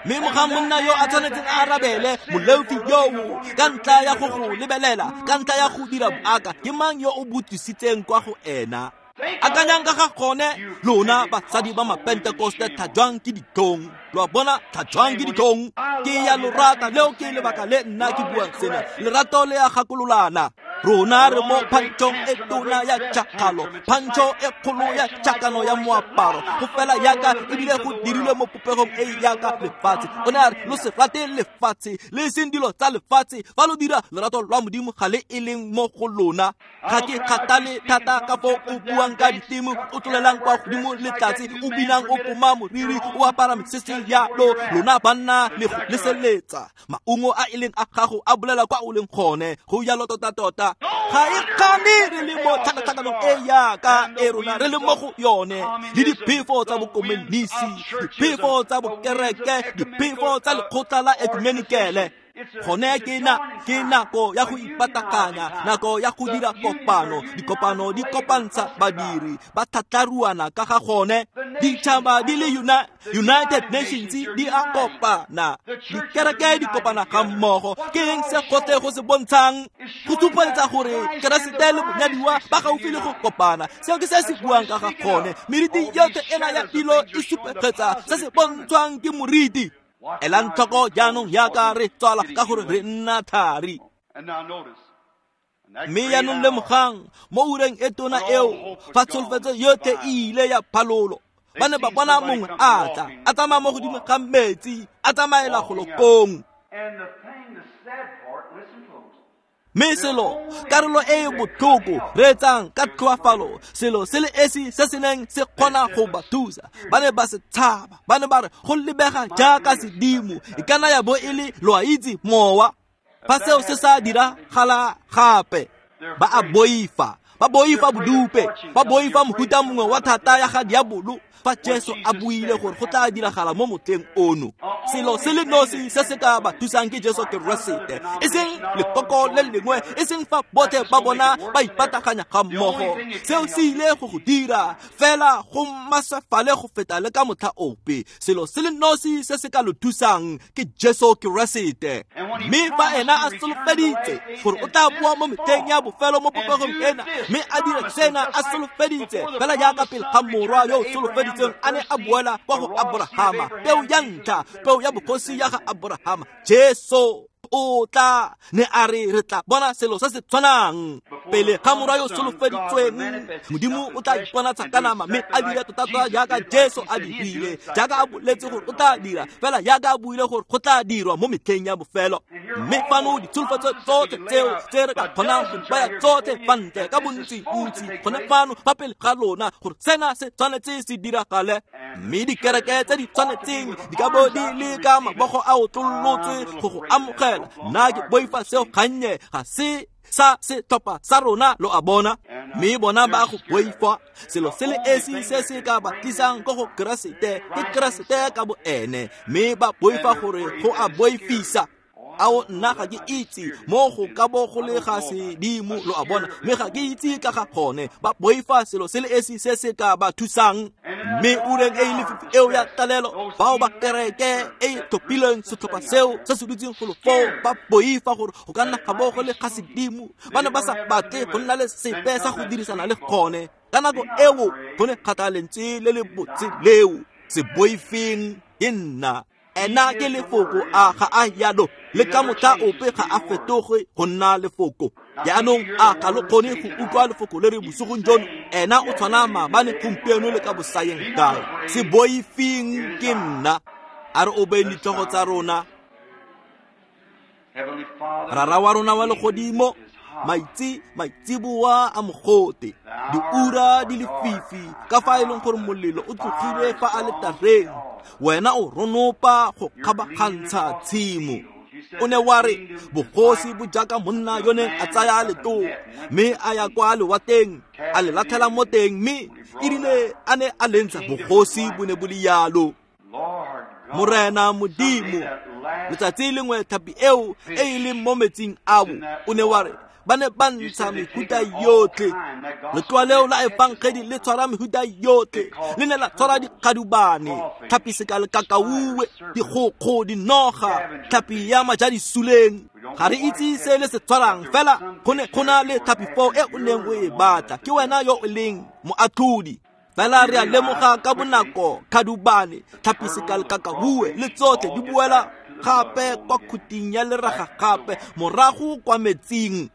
Mme mogang monna yo a tshwanetseng a arabele, moleofi yoo, ka ntlha ya go go lebelela, ka ntlha ya go dira boaka, ke mang yo o botsisitseng kwa go ena? Akanyang ka ga gone, lona basadi ba mapentekoste, tlhajwang ke ditlhong. Lo a bona, tlhajwang ke ditlhong. Ke ya lo rata, leo ke lebaka le nna ke buang sena. Lerato le a gakololana. Rona re mo phantšhong e tona ya tšhakgalo, phantšho e kgolo ya tšhakano ya moaparo, go fela yaka ebile go dirilwe mo popegong e yaka lefatshe. O ne a re, lo se rate lefatshe, le seng dilo tsa lefatshe. Fa lo dira, lerato lwa Modimo ga le e leng mo go lona. Ga ke kgathale thata ka foo o buang ka diteme, o tlolelang kwa godimo le tlase, o binang, o poma moriri, o apara mesese yalo. Lona banna le go leseletsa maungo a e leng a gago a bolela kwa o leng gone. Go jalo tota-tota. Ga e kgane re le mo tlhakatlhakanong e yaka e rona re le mo go yone, le diphefo tsa bokomonisi, diphefo tsa bokereke, diphefo tsa lekgotla la ekumenikele. Gone ke nako ya go ipatakanya, nako ya go dira kopano. Dikopano di kopantsha badiri, ba tlhatlaruana ka ga gone. Ditšhaba di le United Nations di a kopana, dikereke di kopana ga mmogo. Ke eng se gotlhe go se bontshang? Go supegetsa gore Keresete le monyadiwa ba gaufi le go kopana. Seo ke se se buang ka ga gone. Meriti yotlhe ena ya dilo e supegetsa se se bontshwang ke moriti. Elang tlhoko jaanong yaka re tswala ka gore re nna thari. Mme jaanong lemogang mo ureng e tona eo fa tsholofetso yotlhe e ile ya phalolo, ba ne ba bona mongwe a tla a tsamaya mo godimo ga metsi a tsamaela golo kong. Mme selo karolo e e botlhoko reetsang ka tlhoafalo, selo se le esi se se neng se kgona go ba thusa, ba ne ba se tshaba, ba ne ba re go lebega jaaka sedimo, e kana ya bo e le lo a itse mowa. Fa seo se sa diragala gape, ba a boifa, ba boifa bodupe, ba boifa mohuta mongwe wa thata ya ga diabolo. Fa Jesu a buile gore go tla diragala mo motlheng ono, selo se le nosi se se ka ba thusang ke Jesu Keresete, e seng lekoko le lengwe, e seng fa botlhe ba bona ba ipataganya ga mmogo. Seo se ile go go dira fela go maswefale go feta le ka motlha ope. Selo se le nosi se se ka lo thusang ke Jesu Keresete. Mme fa ena a solofeditse gore o tla boa mo metlheng ya bofelo mo popegong ena, mme a dire sena a solofeditse fela jaaka pele ga morwa yo o solofeditseng a ne a boela kwa go Abrahama, peo ya ntlha, peo ya bogosi ya ga Abrahama, Jesu o tla ne a re re tla bona selo se se tshwanang pele ga morwa yo solofeditsweng. Modimo o tla iponatsa ka nama mme a dire tota jaaka Jesu a dirile, jaaka a boletse gore o tla dira, fela jaaka a buile gore go tla dirwa mo metlheng ya bofelo. Mme fano ditsholofetso tsotlhe tseo tse re ka kgonang go baya tsotlhe fa ntle ka bontsi-ntsi gone fano fa pele ga lona gore sena se tshwanetse se diragale. Mme dikereke tse di tshwanetseng di ka bo di le ka mabogo a otlolotswe go go amogela. Nna ke boifa seo gannye, ga se sa setlhopha sa rona, lo a bona. Mme bona ba go boifa. Selo se le esi se se ka ba tlisang ko go Keresete ke Keresete ka bo ene, mme ba boifa gore go a boifisa. Ao nna ga ke itse mo go ka bo go le ga sedimo, lo a bona, mme ga ke itse ka ga gone. Ba boifa selo se le esi se se ka ba thusang. Mme ureng e e lefifi eo ya tlalelo, bao ba kereke e e tlhophileng setlhopha seo se se dutseng golo foo ba boifa gore go ka nna ga bo go le ga sedimo. Ba ne ba sa batle go nna le sepe sa go dirisana le gone. Ka nako eo go ne ga tla lentswe le le botse leo, se boifeng, ke nna. Ena ke lefoko, a ga a yalo le ka motlha ope ga a fetoge go nna lefoko. Jaanong a ga lo kgone go utlwa lefoko le re bosigong jono? Ena o tshwana maabane, gompieno le ka bosayeng kae. Se boifeng, ke nna. A re obeng ditlhogo tsa rona. Rara wa rona wa legodimo, maitse maitsiboa a mogote, diura di lefifi ka fa e leng gore molelo o tlogile fa a letareng, wena o ronopa go kgabagantsha tshimo. O ne wa re bogosi bo jaaka monna yo neng a tsaya letoo mme a ya kwa lewateng a le latlhela mo teng, mme erile a ne a le ntsha, bogosi bo ne bo le yalo. Morena Modimo, letsatsi lengwe tlhapi eo e e leng mo metsing ao, o ne wa re ba ne ba ntsha mehuta yotlhe. Letloa leo la efangedi le tshwara mehuta yotlhe, le ne la tshwara dikgadubane, tlhapi sekalekakauwe, dikgokgo, dinoga, tlhapi ya majadisuleng. Ga re itse se le se tshwarang, fela go ne go na le tlhapi foo e o neng o e batla. Ke wena yo o leng moatlhodi. Fela re a lemoga ka bonako kgadubane, tlhapi sekalekakauwe le tsotlhe di boela gape kwa khuting ya leraga gape morago kwa metsing.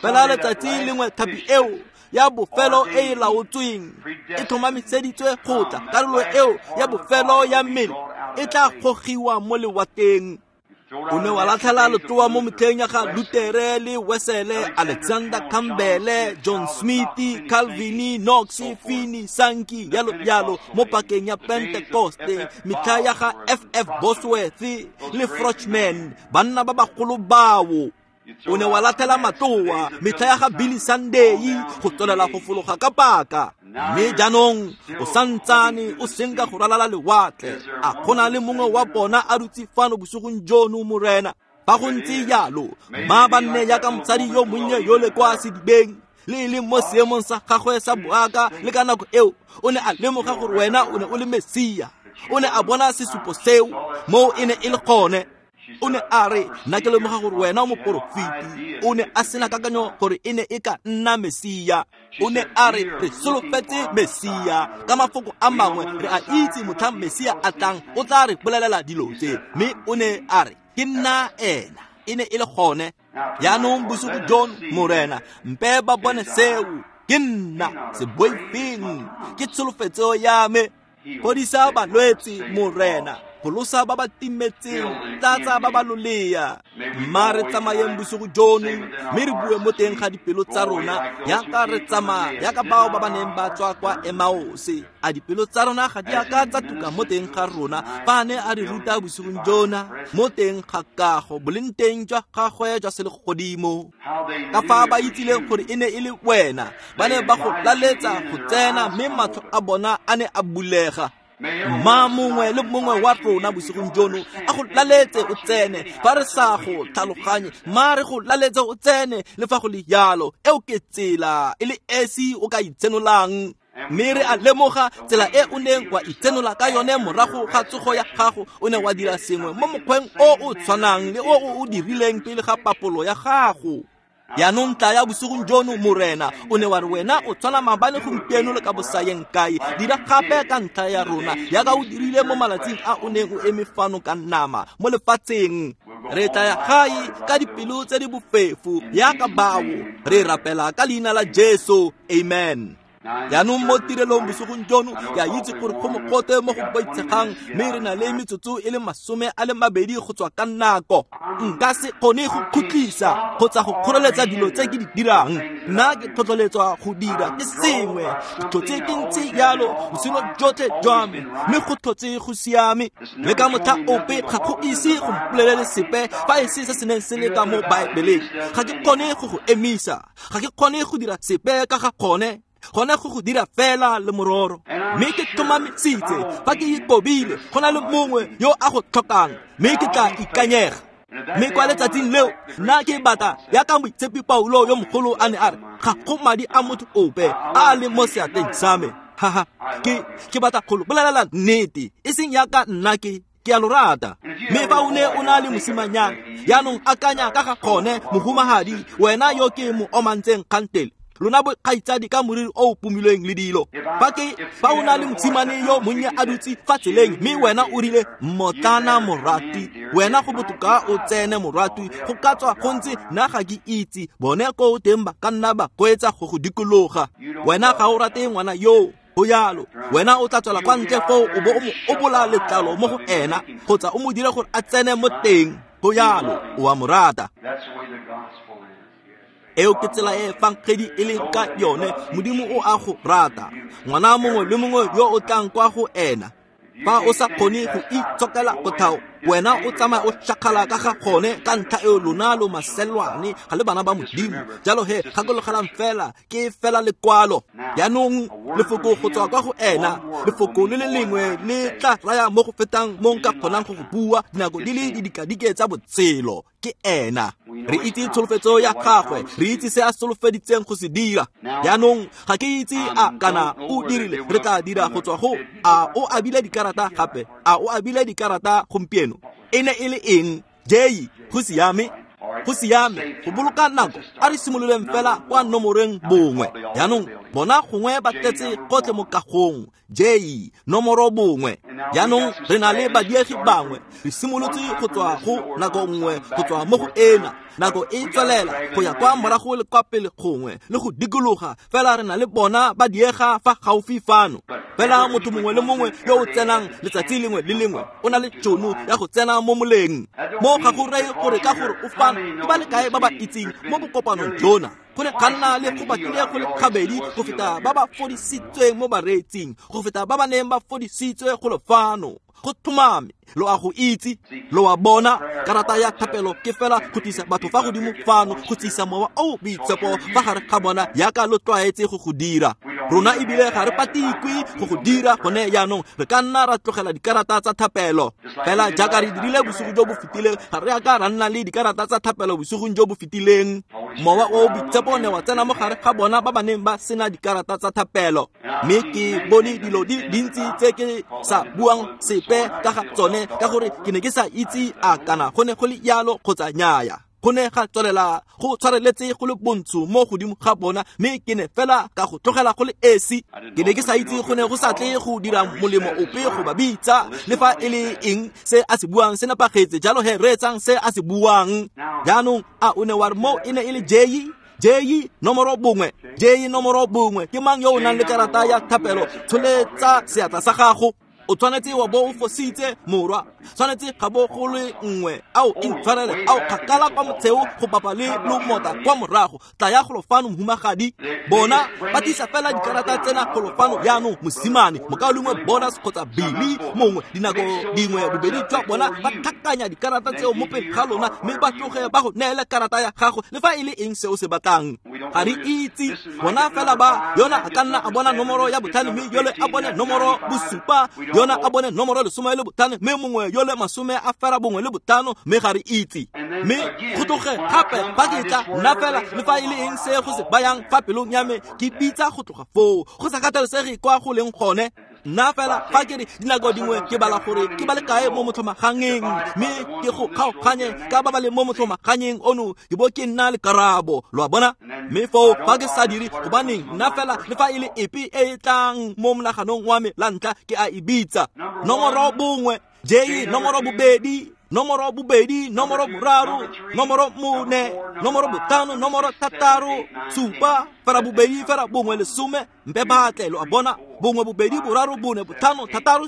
Fela letsatsi lengwe tlhapi eo ya bofelo e e laotsweng e tlhomamiseditswe go tla, karolo eo ya bofelo ya mmele e tla gogiwa mo lewateng. O ne wa latlhela letloa mo metlheng ya ga Lutere le Wesele, Alexander Campbell, John Smith, Calvin, Knox, Finney, Sankey, yalo yalo, mo pakeng ya Pentecoste, metlha ya ga F.F. Bosworth le Frochman, banna ba bagolo bao. O ne wa latlhela matloa metlha ya ga Billy Sunday go tswelela go fologa ka paka. Mme jaanong o santsane o senka go ralala lewatle. A gona le mongwe wa bona a dutse fano bosigong jono, Morena? Fa go ntse jalo, mma ba nne jaaka mosadi yo monnye yo le kwa sedibeng, le e leng mo seemong sa gagwe sa boaka le ka nako eo o ne a lemoga gore wena o ne o le Mesia. O ne a bona sesupo seo moo e ne e le gone. O ne a re, nna ke lemoga gore wena o moporofeti. O ne a sena kakanyo gore e ne e ka nna Mesia. O ne a re, re solofetse Mesia. Ka mafoko a mangwe, re a itse motlhang Mesia a tlang, o tla re bolelela dilo tse. Mme o ne a re, ke nna ena. e ne e le gone. Jaanong bosigo jono, Morena, mpe ba bone seo. Ke nna, se boifeng, ke tsholofetso ya me. Fodisa balwetse, Morena, pholosa ba ba timetseng, tlatsa ba ba lolea. Mma re tsamayeng bosigo jono, mme re bue mo teng ga dipelo tsa rona yaka re tsamaya, yaka bao ba ba neng ba tswa kwa Emaose. A dipelo tsa rona ga di a ka tsa tuka mo teng ga rona fa a ne a re ruta bosigong jona mo teng ga kago boleng teng jwa gagwe jwa selegodimo. Ka fa ba itsileng gore e ne e le wena, ba ne ba go laletsa go tsena, mme matlho a bona a ne a bulega. Mma mongwe le mongwe wa rona bosigong jono a go laletse o tsene, fa re sa go tlhaloganye, mma re go laletse o tsene le fa go le jalo. Eo ke tsela e le esi o ka itsenolang. Mme re a lemoga tsela e o neng wa itsenola ka yone morago ga tsogo ya gago. O ne wa dira sengwe mo mokgweng o o tshwanang le o o dirileng pele ga papolo ya gago. Jaanong tla ya bosigong jono, Morena, o ne wa re wena o tshwana maabane, gompieno le ka bosayeng kae. Dira gape ka ntlha ya rona yaka o dirile mo malatsing a o neng o eme fano ka nama mo lefatsheng. Re tla ya gae ka dipelo tse di bofefo yaka bao. Re rapela ka leina la Jesu, amen. Jaanong mo tirelong bosigong jono, ke a itse gore go mogote mo go boitshegang, mme re na le metsotso e le 20 go tswa ka nako. Nka se kgone go khutlisa kgotsa go kgoreletsa dilo tse ke di dirang. Nna ke tlhotlheletswa go dira ke sengwe, ke tlhotse ke ntse jalo botshelo jotlhe jwa me, mme go tlhotse go siame. Le ka motlha ope ga go ise go mpolelele sepe fa e se se se neng se le ka mo Baebeleng. Ga ke kgone go go emisa, ga ke kgone go dira sepe ka ga gone. Gone go go dira fela le mororo. Mme ke tlhomamisitse fa ke ikobile go na le mongwe yo a go tlhokang, mme ke tla ikanyega. Mme kwa letsatsing leo nna ke batla yaka moitshepi Paulo yo mogolo a ne a re, ga go madi a motho ope a a leng mo seatleng sa me. Haha, ke batla go lo bolelela nnete, e seng yaka nna ke a lo rata. Mme fa o ne o na le mosimanyana, jaanong akanya ka ga gone, mohumagadi, wena yo ke mo omantseng kgantele, lona bokgaitsadi ka moriri o o pomilweng le dilo. Fa o na le mosimane yo monnye a dutse fa tseleng, mme wena o rile mmotlana morati, wena go botoka o tsene morati, go ka tswa go ntse nna ga ke itse, bone ko teng ba ka nna ba koetsa go go dikologa. Wena ga o rate ngwana yoo, go jalo. Wena o tla tswela kwa ntle foo o bo o mo obola letlalo mo go ena, kgotsa o mo dire gore a tsene mo teng. Go jalo, o a mo rata. Eo ke tsela e efangedi e leng ka yone. Modimo o a go rata. Ngwana mongwe le mongwe yo o tlang kwa go ena, fa o sa kgone go itshokela kotlhao, wena o tsamaya o shakgala ka ga gone ka ntlha eo lona lo maselwane, ga le bana ba Modimo. Jalo he, gakologelang fela, ke fela lekwalo. Jaanong lefoko go tswa kwa go ena, lefoko le le lengwe le tla raya mo go fetang mo nka kgonang go go bua dinako di le didikadike tsa botshelo. Ke ena. Re itse tsholofetso ya gagwe, re itse se a solofeditseng go se dira. Jaanong ga ke itse a kana o dirile, re tla dira go tswa go a o abile dikarata gape, a o abile dikarata gompieno. E ne e le eng? Jei, go siame, go siame, go boloka nako. A re simololeng fela kwa nomoreng 1. Jaanong bona gongwe ba tletse gotlhe mo kagong. J, nomoro 1. Jaanong re na le badiegi bangwe. Re simolotse go tswa go nako nngwe go tswa mo go ena. Nako e tswelela go ya kwa morago le kwa pele gongwe le go dikologa, fela re na le bona ba diega fa gaufi fano. Fela motho mongwe le mongwe yo o tsenang letsatsi lengwe le lengwe o na le tšhono ya go tsena mo moleng. Mo ga go reye gore ka gore o fano, ke ba le kae ba ba itseng mo bokopanong jona. Go ne ga nna le go batlile go le gabedi go feta ba ba fodisitsweng mo bareetsing, go feta ba ba neng ba fodisitswe go le fano. Go tlhomame, lo a go itse, lo a bona. Karata ya thapelo ke fela go tlisa batho fa godimo fano, go tlisa mowa o boitshepo fa gare ga bona yaka lo tlwaetse go go dira. Rona ebile ga re patikwe go go dira gone jaanong. Re ka nna ra tlogela dikarata tsa thapelo fela jaaka re dirile bosigo jo bo fetileng. Ga re a ka ra nna le dikarata tsa thapelo bosigong jo bo fetileng. Mowa o boitshepo ne wa tsena mo gare ga bona ba ba neng ba sena dikarata tsa thapelo. Mme ke bone dilo di dintsi tse ke sa buang sepe ka ga tsone, ka gore ke ne ke sa itse a kana go ne go le jalo kgotsa nnyaya. Go ne ga tswelela go tshwareletse go le bontsho mo godimo ga bona, mme ke ne fela ka go tlogela go le esi. Ke ne ke sa itse go ne go sa tle go dira molemo ope go ba bitsa, le fa e le eng se a se buang se nepagetse. Jalo he reetsang se a se buang. Jaanong a o ne wa re mo e ne e le J J nomoro 1, J nomoro 1. Ke mang yo o nang le karata ya thapelo? Tsholetsa seatla sa gago. O tshwanetse wa bo o fositse, morwa. Tshwanetse ga bo go le nngwe. Ao intshwarele, ao kgakala kwa motsheo go bapa le lomota kwa morago. Tla ya golo fano, mohumagadi. Bona ba tlisa fela dikarata tsena golo fano jaanong, mosimane, mokaulengwe Bonus kgotsa Billy mongwe. Dinako dingwe bobedi jwa bona ba tlhakanya dikarata tseo mo pele ga lona, mme ba tloge ba go neele karata ya gago le fa e le eng se o se batlang. Ga re itse bona fela ba yona a ka nna a bona nomoro ya 5, mme yole a bone nomoro 7, yona a bone nomoro 15, mme mongwe yole 95, mme ga re itse. Mme go tloge gape fa ke tla nna fela le fa e le eng se go se bayang fa pelong ya me, ke bitsa go tloga foo, go sa kgathalesege kwa go leng gone. Nna fela fa ke re dinako dingwe ke bala gore ke ba le kae mo motlhomaganyeng, mme ke go kgaoganye ka ba ba leng mo motlhomaganyeng ono, ke bo ke nna le karabo, lo a bona. Mme foo fa ke sa dire, gobaneng nna fela le fa e le epe e e tlang mo monaganong wa me la ntlha ke a e bitsa. Nomoro 1, J nomoro 2, nomoro 2, nomoro 3, nomoro 4, nomoro 5, nomoro 6, 7, fela 2, fela 1, 10. Mpe batle, lo a bona. 1, 2, 3, 4, 5,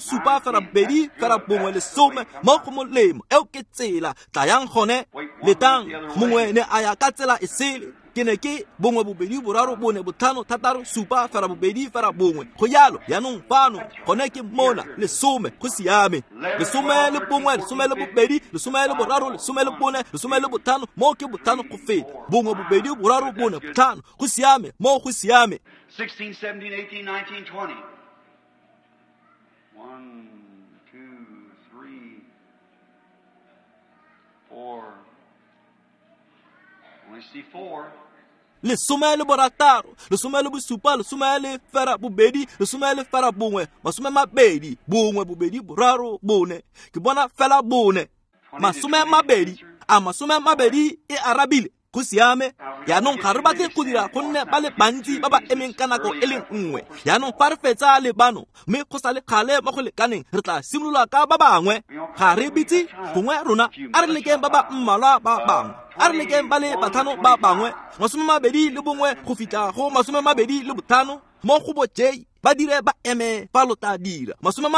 6, 7, fela 2, fela 1, 10. Mo go molemo, eo ke tsela. Tlayang gone, letang. Mongwe ne a ya ka tsela e sele. Ke ne ke 1, 2, 3, 4, 5, 6, 7, fela 2, fela 1. Go jalo, jaanong fano gone ke mona, 10, go siame. 11, 12, 13, 14, 15, mo ke 5 go feta. 1, 2, 3, 4, 5, go siame, mo go siame. 16, 17, 18, 19, 20. 1, 2, 3, 4. Only see 4. 16, 17, 12, 11, 20, 1, 2, 3, 4. Ke bona fela 4. 20, a 20 e arabile. Go siame. Jaanong ga re batle go dira gonne ba le bantsi ba ba emeng ka nako e le nngwe. Jaanong fa re fetsa le bano, mme go sa le kgale mo go lekaneng, re tla simolola ka ba bangwe. Ga re bitse gongwe rona, a re lekeng ba ba mmalwa ba bangwe, a re lekeng ba le 5 ba bangwe, 21 go fitlha go 25 mo go bo J. Ba dire ba eme fa lo tla dira 21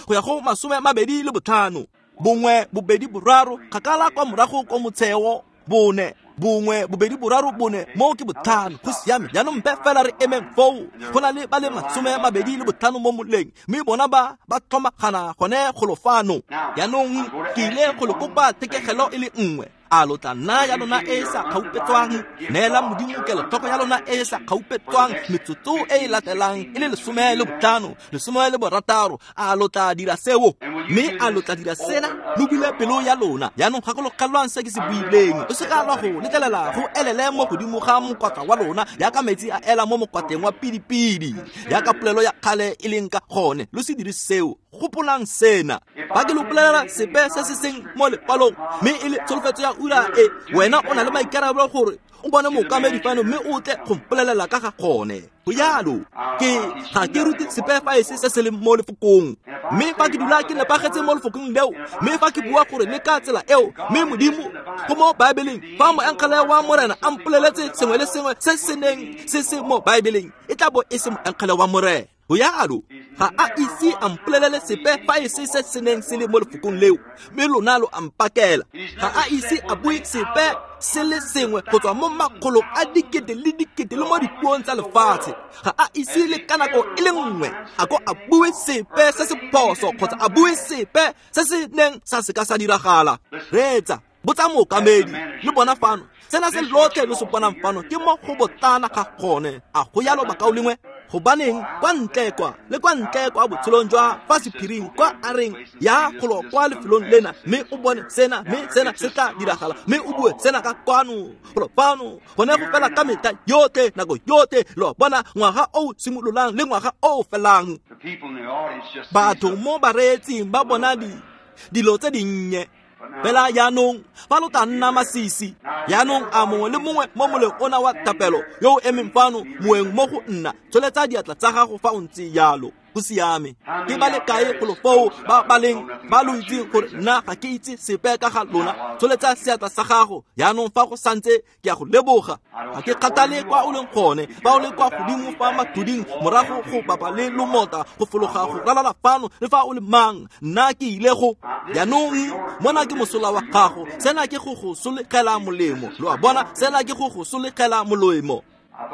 go ya go 25. 1, 2, 3, kgakala kwa morago ko motsheo. 4, 1, 2, 3, 4, mo ke 5. Go siame. Jaanong mpe fela re emeng foo. Go na le ba le 25 mo moleng, mme bona ba ba tlhomagana gone golo fano. Jaanong ke ile go le kopa thekegelo e le nngwe. A lo tla nna ya lona e sa kgaupetswang? Neela Modimo kelotlhoko ya lona e sa kgaupetswang metsotso e e latelang e le 15, 16. A lo tla dira seo? Mme a lo tla dira sena? Lo bule pelo ya lona. Jaanong gakologelwang se ke se buileng. O se ka lwa go letlelela go elele mo godimo ga mokwatla wa lona jaaka metsi a ela mo mokwatleng wa pidipidi, jaaka polelo ya kgale e leng ka gone. Lo se dire seo. Gopolang sena. Fa ke lo bolelela sepe se se seng mo lekwalong, mme e le tsholofetso ya ura e, wena o na le maikarabelo gore o bone mookamedi fano mme o tle go mpolelela ka ga gone. Go jalo, ke ga ke rute sepe fa e se se se leng mo lefokong. Mme fa ke dula ke nepagetse mo lefokong leo, mme fa ke bua gore le ka tsela eo, mme Modimo go mo Baebeleng, fa moengele wa Morena a mpoleletse sengwe le sengwe se se neng se se mo Baebeleng, e tla bo e se moengele wa Morena. Go jalo, ga a ise a mpolelele sepe fa e se se se neng se le mo lefokong leo, mme lona lo a mpakela. Ga a ise a bue sepe se le sengwe go tswa mo makgolong a dikete le dikete le mo dipuong tsa lefatshe. Ga a ise le ka nako e le nngwe a ko a bue sepe se se phoso kgotsa a bue sepe se se neng sa se ka sa diragala. Reetsa, botsa mookamedi le bona fano. Sena se lotlhe lo se bonang fano ke mo go botlana ga gone. A go jalo, bakaulengwe? Gobaneng kwa ntle kwa le kwa ntle kwa botshelong jwa fa sephiring kwa a reng ya golo kwa lefelong lena, mme o bone sena, mme sena se tla diragala, mme o bue sena ka kwano golo fano. Gone go fela ka metlha yotlhe, nako yotlhe, lo bona ngwaga o simololang le ngwaga o felang. Batho mo bareetsing ba bona dilo tse dinnye. Fela jaanong fa lo tla nna masisi, jaanong a mongwe le mongwe mo moleng ona wa thapelo yo o emeng fano moeng mo go nna, tsholetsa diatla tsa gago fa o ntse jalo. Go siame. Ke ba le kae golo foo ba ba leng ba lo itseng gore nna ga ke itse sepe ka ga lona? Tsholetsa seatla sa gago jaanong fa go santse ke a go leboga. Ga ke kgathale kwa o leng gone, fa o le kwa godimo fa mathuding morago go bapa le lomota go fologa go ralala fano, le fa o le mang, nna ke ile go. Jaanong mona ke mosola wa gago, sena ke go go solegela molemo. Lo a bona, sena ke go go solegela molemo.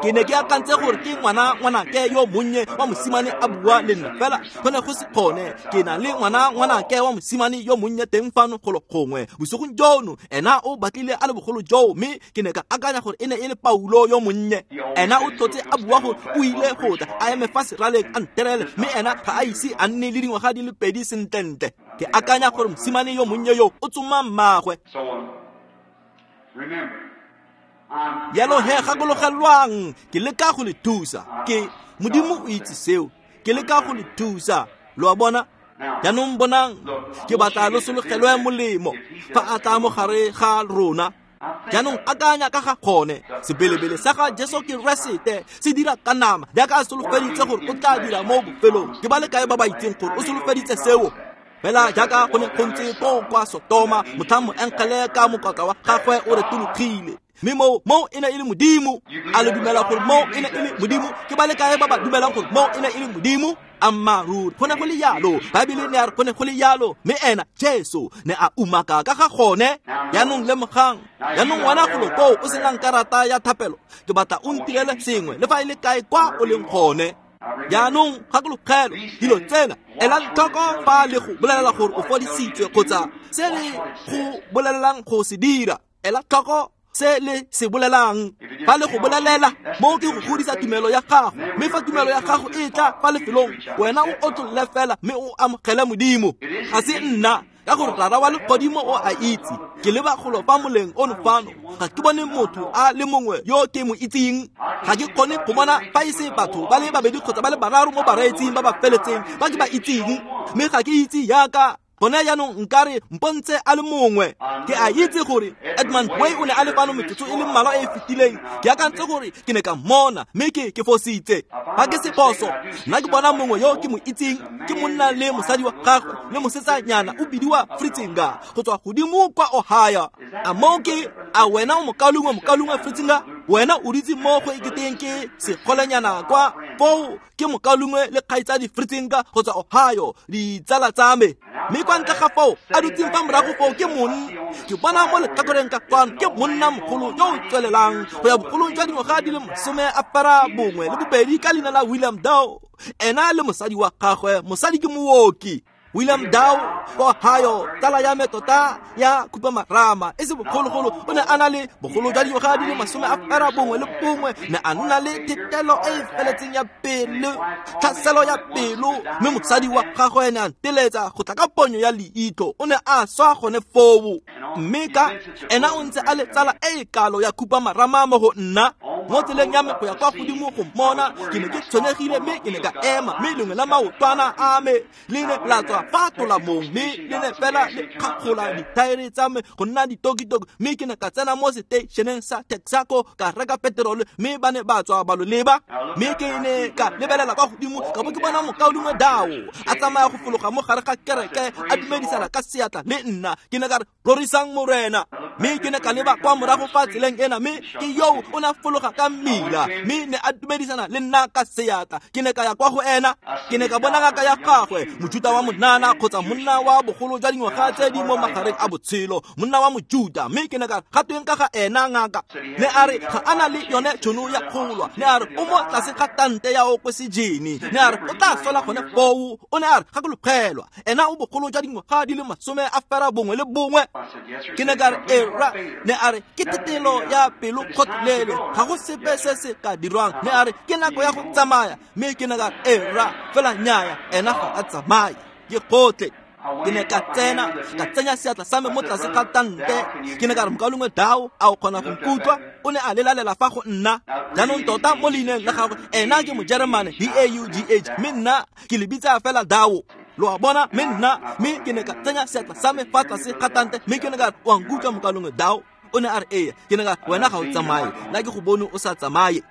Ke ne ke akantse gore ke ngwanake yo monnye wa mosimane a bua le nna, fela go ne go se kgone. Ke na le ngwanake wa mosimane yo monnye teng fano golo gongwe bosigong jono, ena o batlile a le bogolo joo, mme ke ne ka akanya gore e ne e le Paulo yo monnye. Ena o tlotse a bua gore o ile go tla a eme fa seraleng a nterele, mme ena ga a ise a nne le dingwaga di le pedi sentlentle. Ke akanya gore mosimane yo monnye yo o tsoma mmagwe. Jalo he gakologelwang, ke leka go le thusa. Ke Modimo o itse seo, ke leka go le thusa. Lo a bona? Jaanong bonang, ke batla lo sologelwe molemo fa a tla mo gare ga rona. Jaanong akanya ka ga gone, sebelebele sa ga Jesu Keresete se dira ka nama jaaka a solofeditse gore o tla dira mo bofelong. Ke ba le kae ba ba itseng gore o solofeditse seo? Fela jaaka go ne go ntse koo kwa Sotoma, motlhang moengele ka mokotla wa gagwe o retologile, mme moo e ne e le Modimo. A le dumela gore moo e ne e le Modimo? Ke ba le kae ba ba dumelang gore moo e ne e le Modimo? Ammaaruri, go ne go le jalo. Baebele ne a re go ne go le jalo, mme ena Jesu ne a umaka ka ga gone. Jaanong lemogang, jaanong wena golo koo o senang karata ya thapelo, ke batla o ntirele sengwe le fa e le kae kwa o leng gone. Jaanong gakologelo dilo tsena, elang tlhoko fa le go bolelela gore o fodisitswe kgotsa se le go bolelelang go se dira. Ela tlhoko se le se bolelang. Fa le go bolelela, moo ke go godisa tumelo ya gago, mme fa tumelo ya gago e tla fa lefelong, wena o otlolle fela mme o amogele Modimo. Ga se nna, ka gore Rara wa legodimo o a itse. Ke leba golo fa moleng ono fano, ga ke bone motho a le mongwe yo ke mo itseng. Ga ke kgone go bona fa e se batho ba le babedi kgotsa ba le bararo mo bareetsing ba ba feletseng ba ke ba itseng, mme ga ke itse yaka gone jaanong nkare mpontse a le mongwe. Ke a itse gore Edmund Way o ne a le fano metsotso e le mmalwa e e fetileng. Ke akantse gore ke ne ka mmona, mme ke fositse. Ga ke se phoso, nna ke bona mongwe yo ke mo itseng, ke monna le mosadi wa gagwe le mosetsanyana o bidiwa Fritzinger go tswa godimo kwa Ohio. A moo ke a wena o mokaulengwe Fritzinger? Wena o dutse mo go eketeng ke segolenyana kwa foo, ke mokaulengwe le kgaitsadi Fritzinger go tswa Ohio, ditsala tsa me. Mme kwa ntle ga foo a dutseng fa morago foo ke monna, ke bona mo letlhakoreng ka kwano ke monna mogolo yo o tswelelang go ya bogolong jwa dingwaga di le 92 ka leina la William Dow. Ena le mosadi wa gagwe, mosadi ke mooki. William Dow kwa Ohio, tsala ya me tota ya khupamarama e se bogologolo, o ne a na le bogolo jwa dingwaga di le 91, ne a nna le thetelo e e feletseng ya pelo, tlhaselo ya pelo, mme mosadi wa gagwe ne a nteletsa go tla ka ponyo ya leitlho, o ne a swa gone foo. Mme ka ena o ntse a le tsala e e kalo ya khupamarama mo go nna. Mo tseleng ya me go ya kwa godimo go mmona, ke ne ke tshwenyegile, mme ke ne ka ema, mme lengwe la maotwana a me le ne la tswa fa tolamong, mme le ne fela le kgakgola dithaere tsa me go nna ditokitoki, mme ke ne ka tsena mo seteišeneng sa Texaco ka reka peterole, mme ba ne ba tswa ba lo leba. Mme ke ne ka lebelela kwa godimo ka bo ke bona mokaulengwe Dao a tsamaya go fologa mo gare ga kereke a dumedisana ka seatla le nna. Ke ne ka re, rorisang Morena. Mme ke ne ka leba kwa morago fa tseleng ena, mme ke yo o ne a fologa ka mmila, mme ne a dumedisana le nna ka seatla. Ke ne ka ya kwa go ena, ke ne ka bona ngaka ya gagwe, Mojuta wa monana kgotsa monna wa bogolo jwa dingwaga tse di mo magareng a botshelo, monna wa Mojuta. Mme ke ne ka ga tweng ka ga ena ngaka? Ne a re ga a na le yone tšhono ya kgolwa. Ne a re o mo tlase ga tante ya okosejene. Ne a re o tla sola gone foo. O ne a re gakologelwa, ena o bogolo jwa dingwaga di le 91. Ke ne ka re era. Ne a re ke tetelo ya pelo kgotlele, ga go sepe se se ka dirwang. Ne a re ke nako ya go tsamaya. Mme ke ne ka re era, fela nnyaya, ena ga a tsamaye, ke gotlhe. Ke ne ka tsena, ka tsenya seatla sa me mo tlase ga tante. Ke ne ka re, mokaulengwe Dao, a o kgona go nkutlwa? O ne a lelalela fa go nna. Jaanong tota mo leineng la gagwe, ena ke Mojeremane, D-A-U-G-H, mme nna ke le bitsa fela Dao. Lo a bona, mme nna, mme ke ne ka tsenya seatla sa me fa tlase ga tante, mme ke ne ka re, o a nkutlwa mokalongwe Dao? O ne a re, ee. Ke ne ka re, wena ga o tsamaye, nna ke go bone o sa tsamaye.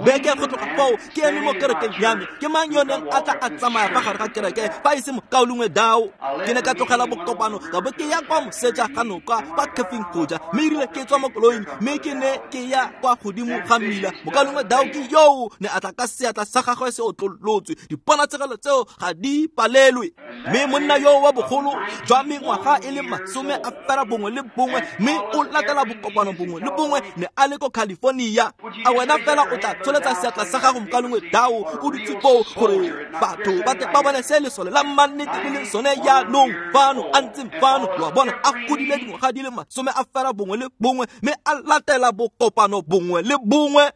Beke go tloga foo ke eme mo kerekeng ya me, ke mang yo neng a tla a tsamaya fa gare ga kereke fa e se mokaulengwe Dao? Ke ne ka tlogela bokopano ka bo ke ya kwa moseja ga noka kwa Caffeine go ja, mme erile ke tswa mo koloing mme ke ne ke ya kwa godimo ga mmila, mokaulengwe Dao ke yoo ne a tla ka seatla sa gagwe se otlolotswe. Diponatshegelo tseo ga di palelwe. Mme monna yo wa bogolo jwa mengwaga e le 91, mme o latela bokopano bongwe le bongwe, ne a le ko California. A wena fela o tla tsholetsa seatla sa gago mokalongwe Dao, o dutse foo gore batho ba tle ba bone se lesole la mannete le leng sone jaanong fano, a ntseng fano, lo a bona, a godile dingwaga di le 91, mme a latela bokopano bongwe le bongwe.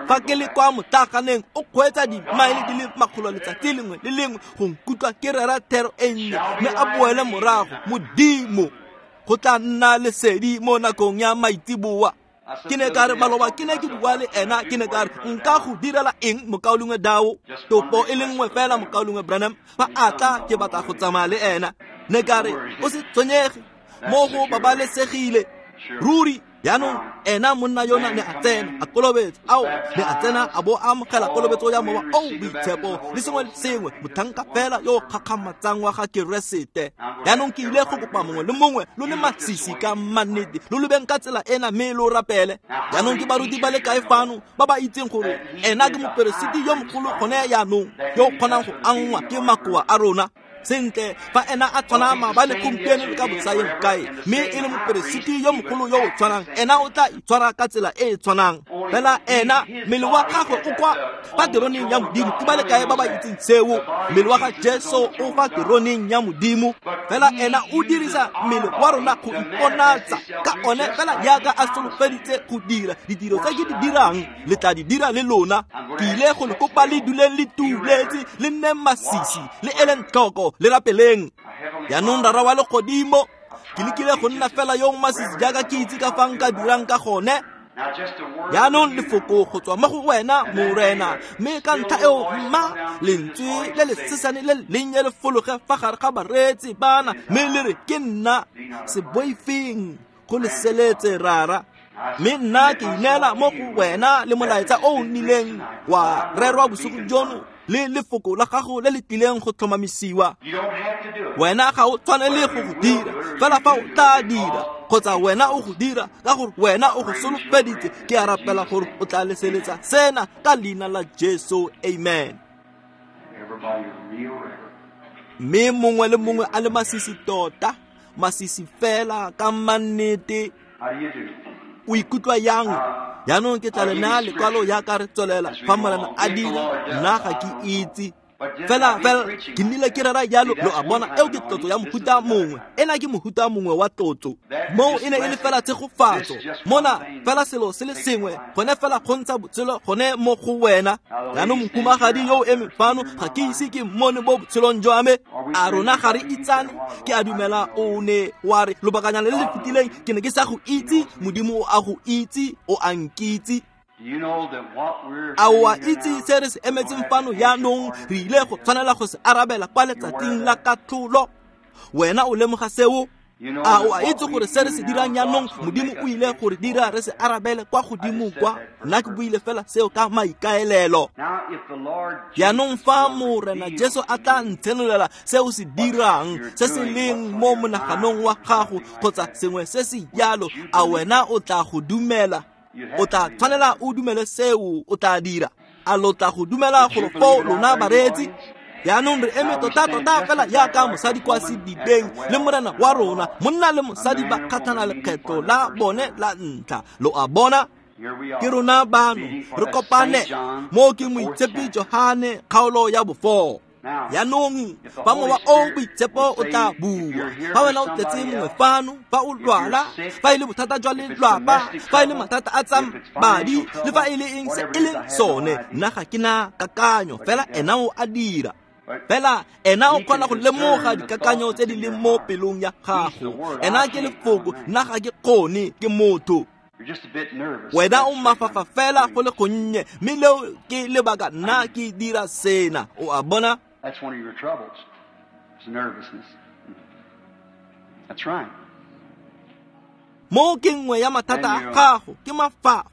Fa ke le kwa motlaganeng, o kgweetsa dimaele di le 100 letsatsi lengwe le lengwe go nkutlwa ke rera thero e nnye, mme a boele morago. Modimo, go tla nna lesedi mo nakong ya maitseboa. Ke ne ka re maloba ke ne ke bua le ena, ke ne ka re nka go direla eng mokaulengwe Dao? Topo e le nngwe fela, mokaulengwe Branham, fa a tla ke batla go tsamaya le ena. Ne ka re o se tshwenyege, mo go babalesegile ruri. Jaanong ena monna yona ne a tsena a kolobetsa, ao ne a tsena a bo a amogela kolobetso ya Mowa o Boitshepo le sengwe le sengwe, motlhanka fela yo o kgakgamatsang wa ga Keresete. Jaanong ke ile go kopa mongwe le mongwe lo le masisi ka mannete, lo lebeng ka tsela ena mme lo rapele. Jaanong ke baruti ba le kae fano ba ba itseng gore ena ke moperesiti yo mogolo gone jaanong, yo o kgonang go angwa ke makoa a rona? Sentle, fa ena a tshwana maabane, gompieno le ka bosayeng kae, mme e le moperesiti yo mogolo yo o tshwanang, ena o tla itshwara ka tsela e e tshwanang. Fela ena, mmele wa gagwe o kwa fa teroneng ya Modimo. Ke ba le kae ba ba itseng seo? Mmele wa ga Jesu o fa teroneng ya Modimo. Fela ena o dirisa mmele wa rona go iponatsa ka one, fela jaaka a solofeditse go dira. Ditiro tse ke di dirang le tla di dira le lona. Ke ile go le kopa le duleng le tuletse, le nne masisi, le eleng tlhoko, le rapeleng. Jaanong Rara wa legodimo, ke lekile go nna fela yo o masisi jaaka ke itse ka fa nka dirang ka gone. Jaanong lefoko go tswa mo go wena, Morena, mme ka ntlha eo mma lentswe le le sesane le lennye le fologe fa gare ga bareetsi bana, mme le re, ke nna, se boifeng, go le seletse Rara. Mme nna ke ineela mo go wena le molaetsa o o nnileng wa rerwa bosigo jono, le lefoko la gago le le tlileng go tlhomamisiwa. Wena ga o tshwanele go go dira, fela fa o tla dira, kgotsa wena o go dira ka gore wena o go solofeditse, ke a rapela gore o tla leseletsa sena ka leina la Jesu, amen. Mme mongwe le mongwe a le masisi tota, masisi fela ka mannete. O ikutlwa yang? Jaanong ke tla le naya lekwalo jaaka re tswelela, fa Morena a dira, nna ga ke itse. Fela fela ke nnile ke rera jalo, lo a bona, eo ke tlotso ya mohuta mongwe. Ena ke mohuta mongwe wa tlotso. Moo e ne e le fela tshegofatso. Mona fela selo se le sengwe, gone fela go ntsha botshelo gone mo go wena. Jaanong mohumagadi yo o emeng fano, ga ke ise ke mmone mo botshelong jwa me. A rona ga re itsane? Ke a dumela o ne wa re lobakanyana le le fetileng ke ne ke sa go itse. Modimo o a go itse, o a nkitse. A o a itse se re se emetseng fano jaanong? Re ile go tshwanela go se arabela kwa letsatsing la katlholo. Wena o lemoga seo? A o a itse gore se re se dirang jaanong, Modimo o ile gore dira re se arabele kwa godimo kwa? Nna ke buile fela seo ka maikaelelo. Jaanong fa Morena Jesu a tla ntshenolela se o se dirang, se se leng mo monaganong wa gago, kgotsa sengwe se se jalo, a wena o tla go dumela? O tla tshwanela o dumele seo, o tla dira. A lo tla go dumela golo foo, lona bareetsi? Jaanong re eme tota-tota fela jaaka mosadi kwa sedibeng le Morena wa rona, monna le mosadi ba kgatlhana lekgetlo la bone la ntlha. Lo a bona? Ke rona bano re kopane mo ke Moitshepi Johane kgaolo ya bo-4. Jaanong fa Mowa o Boitshepo o tla bua, fa wena o tletse mongwe fano, fa o lwala, fa e le bothata jwa lelwapa, fa e le mathata a tsa madi, le fa e le eng se e leng sone, nna ga ke na kakanyo, fela ena o a dira. Fela ena o kgona go lemoga dikakanyo tse di leng mo pelong ya gago. Ena ke lefoko, nna ga ke kgone, ke motho. Wena o mafafa fela go le gonnye, mme leo ke lebaka nna ke dira sena. O a bona? That's one of your troubles. It's nervousness. That's right. Mo ke nngwe ya mathata a gago ke mafafa.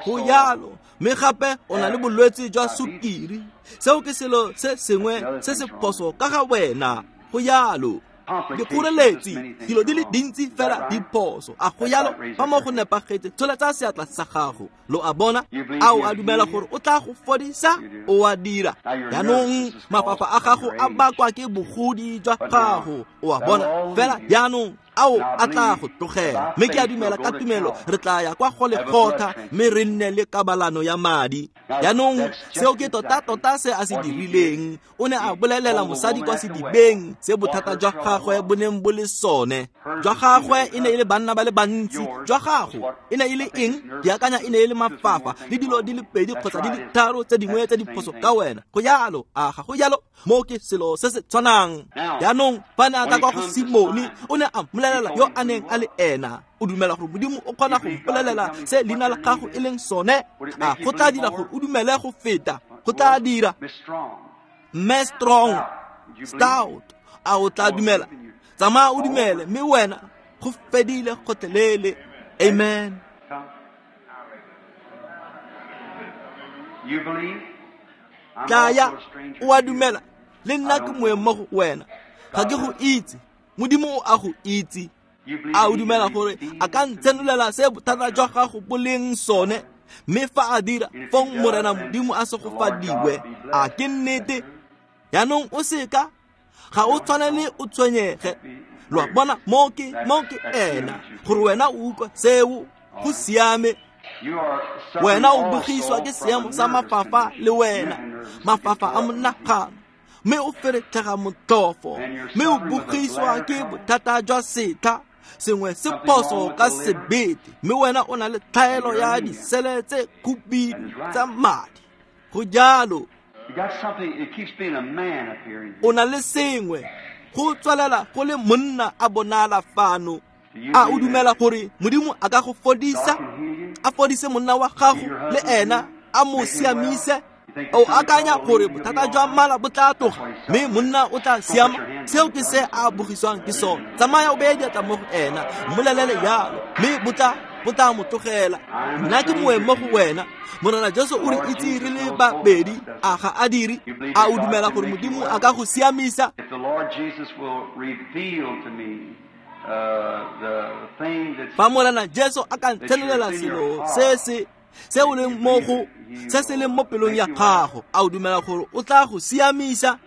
Go jalo, mme gape o na le bolwetse jwa sukiri. Seo ke selo se sengwe se se phoso ka ga wena. Go jalo. Dikgoreletsi, dilo di le dintsi fela di phoso. A go jalo, fa mo go nepagetse, tsholetsa seatla sa gago. Lo a bona? A o a dumela gore o tla go fodisa? O a dira. Jaanong mafafa a gago a bakwa ke bogodi jwa gago. O a bona? Fela jaanong ao a tla go tlogela. Mme ke a dumela ka tumelo re tla ya kwa go Golgotha mme re nne le kabalano ya madi. Jaanong seo ke tota-tota se a se dirileng. O ne a bolelela mosadi kwa sedibeng se bothata jwa gagwe bo neng bo le sone. Jwa gagwe e ne e le banna ba le bantsi. Jwa gago e ne e le eng? Ke akanya e ne e le mafafa le dilo di le pedi kgotsa di le tharo tse dingwe tse di phoso ka wena. Go jalo, a ga go jalo? Mo ke selo se se tshwanang. Jaanong fa ne a tla kwa go Simone, o ne a mmolelela yo a neng a le ena. O dumela gore Modimo o kgona go mpolelela se leina la gago e leng sone? A go tla dira gore o dumele go feta? Go tla dira. Mme Strong, Stout, a o tla dumela? Tsamaya o dumele, mme wena go fedile gotlhelele. Amen. Tlaya, o a dumela. Le nna ke moeng mo go wena. Ga ke go itse. Modimo o a go itse. A o dumela gore a ka ntshenolela se bothata jwa gago bo leng sone? Mme fa a dira, fong Morena Modimo a segofadiwe. A ke nnete? Jaanong o seka, ga o tshwanele o tshwenyege. Lo a bona, mo ke ena, gore wena o utlwa seo, go siame. Wena o bogiswa ke seemo sa mafafa le wena, mafafa a monagano, mme o feretlhega motlhofo, mme o bogiswa ke bothata jwa setlha, sengwe se phoso ka sebete, mme wena o na le tlhaelo ya disele tse khubidu tsa madi. Go jalo. O na le sengwe, go tswelela go le monna a bonala fano. A o dumela gore Modimo a ka go fodisa? A fodise monna wa gago le ena, a mo siamise? O akanya gore bothata jwa mala bo tla tloga, mme monna o tla siama? Seo ke se a bogiswang ke sone. Tsamaya o beye diatla mo go ena, mmolelele jalo, mme bo tla mo tlogela. Nna ke moeng mo go wena. Morena Jesu o re itse re le babedi, a ga a dire? A o dumela gore Modimo a ka go siamisa? Fa Morena Jesu a ka ntshenolela selo se o leng mo go, se se leng mo pelong ya gago, a o dumela gore o tla go siamisa?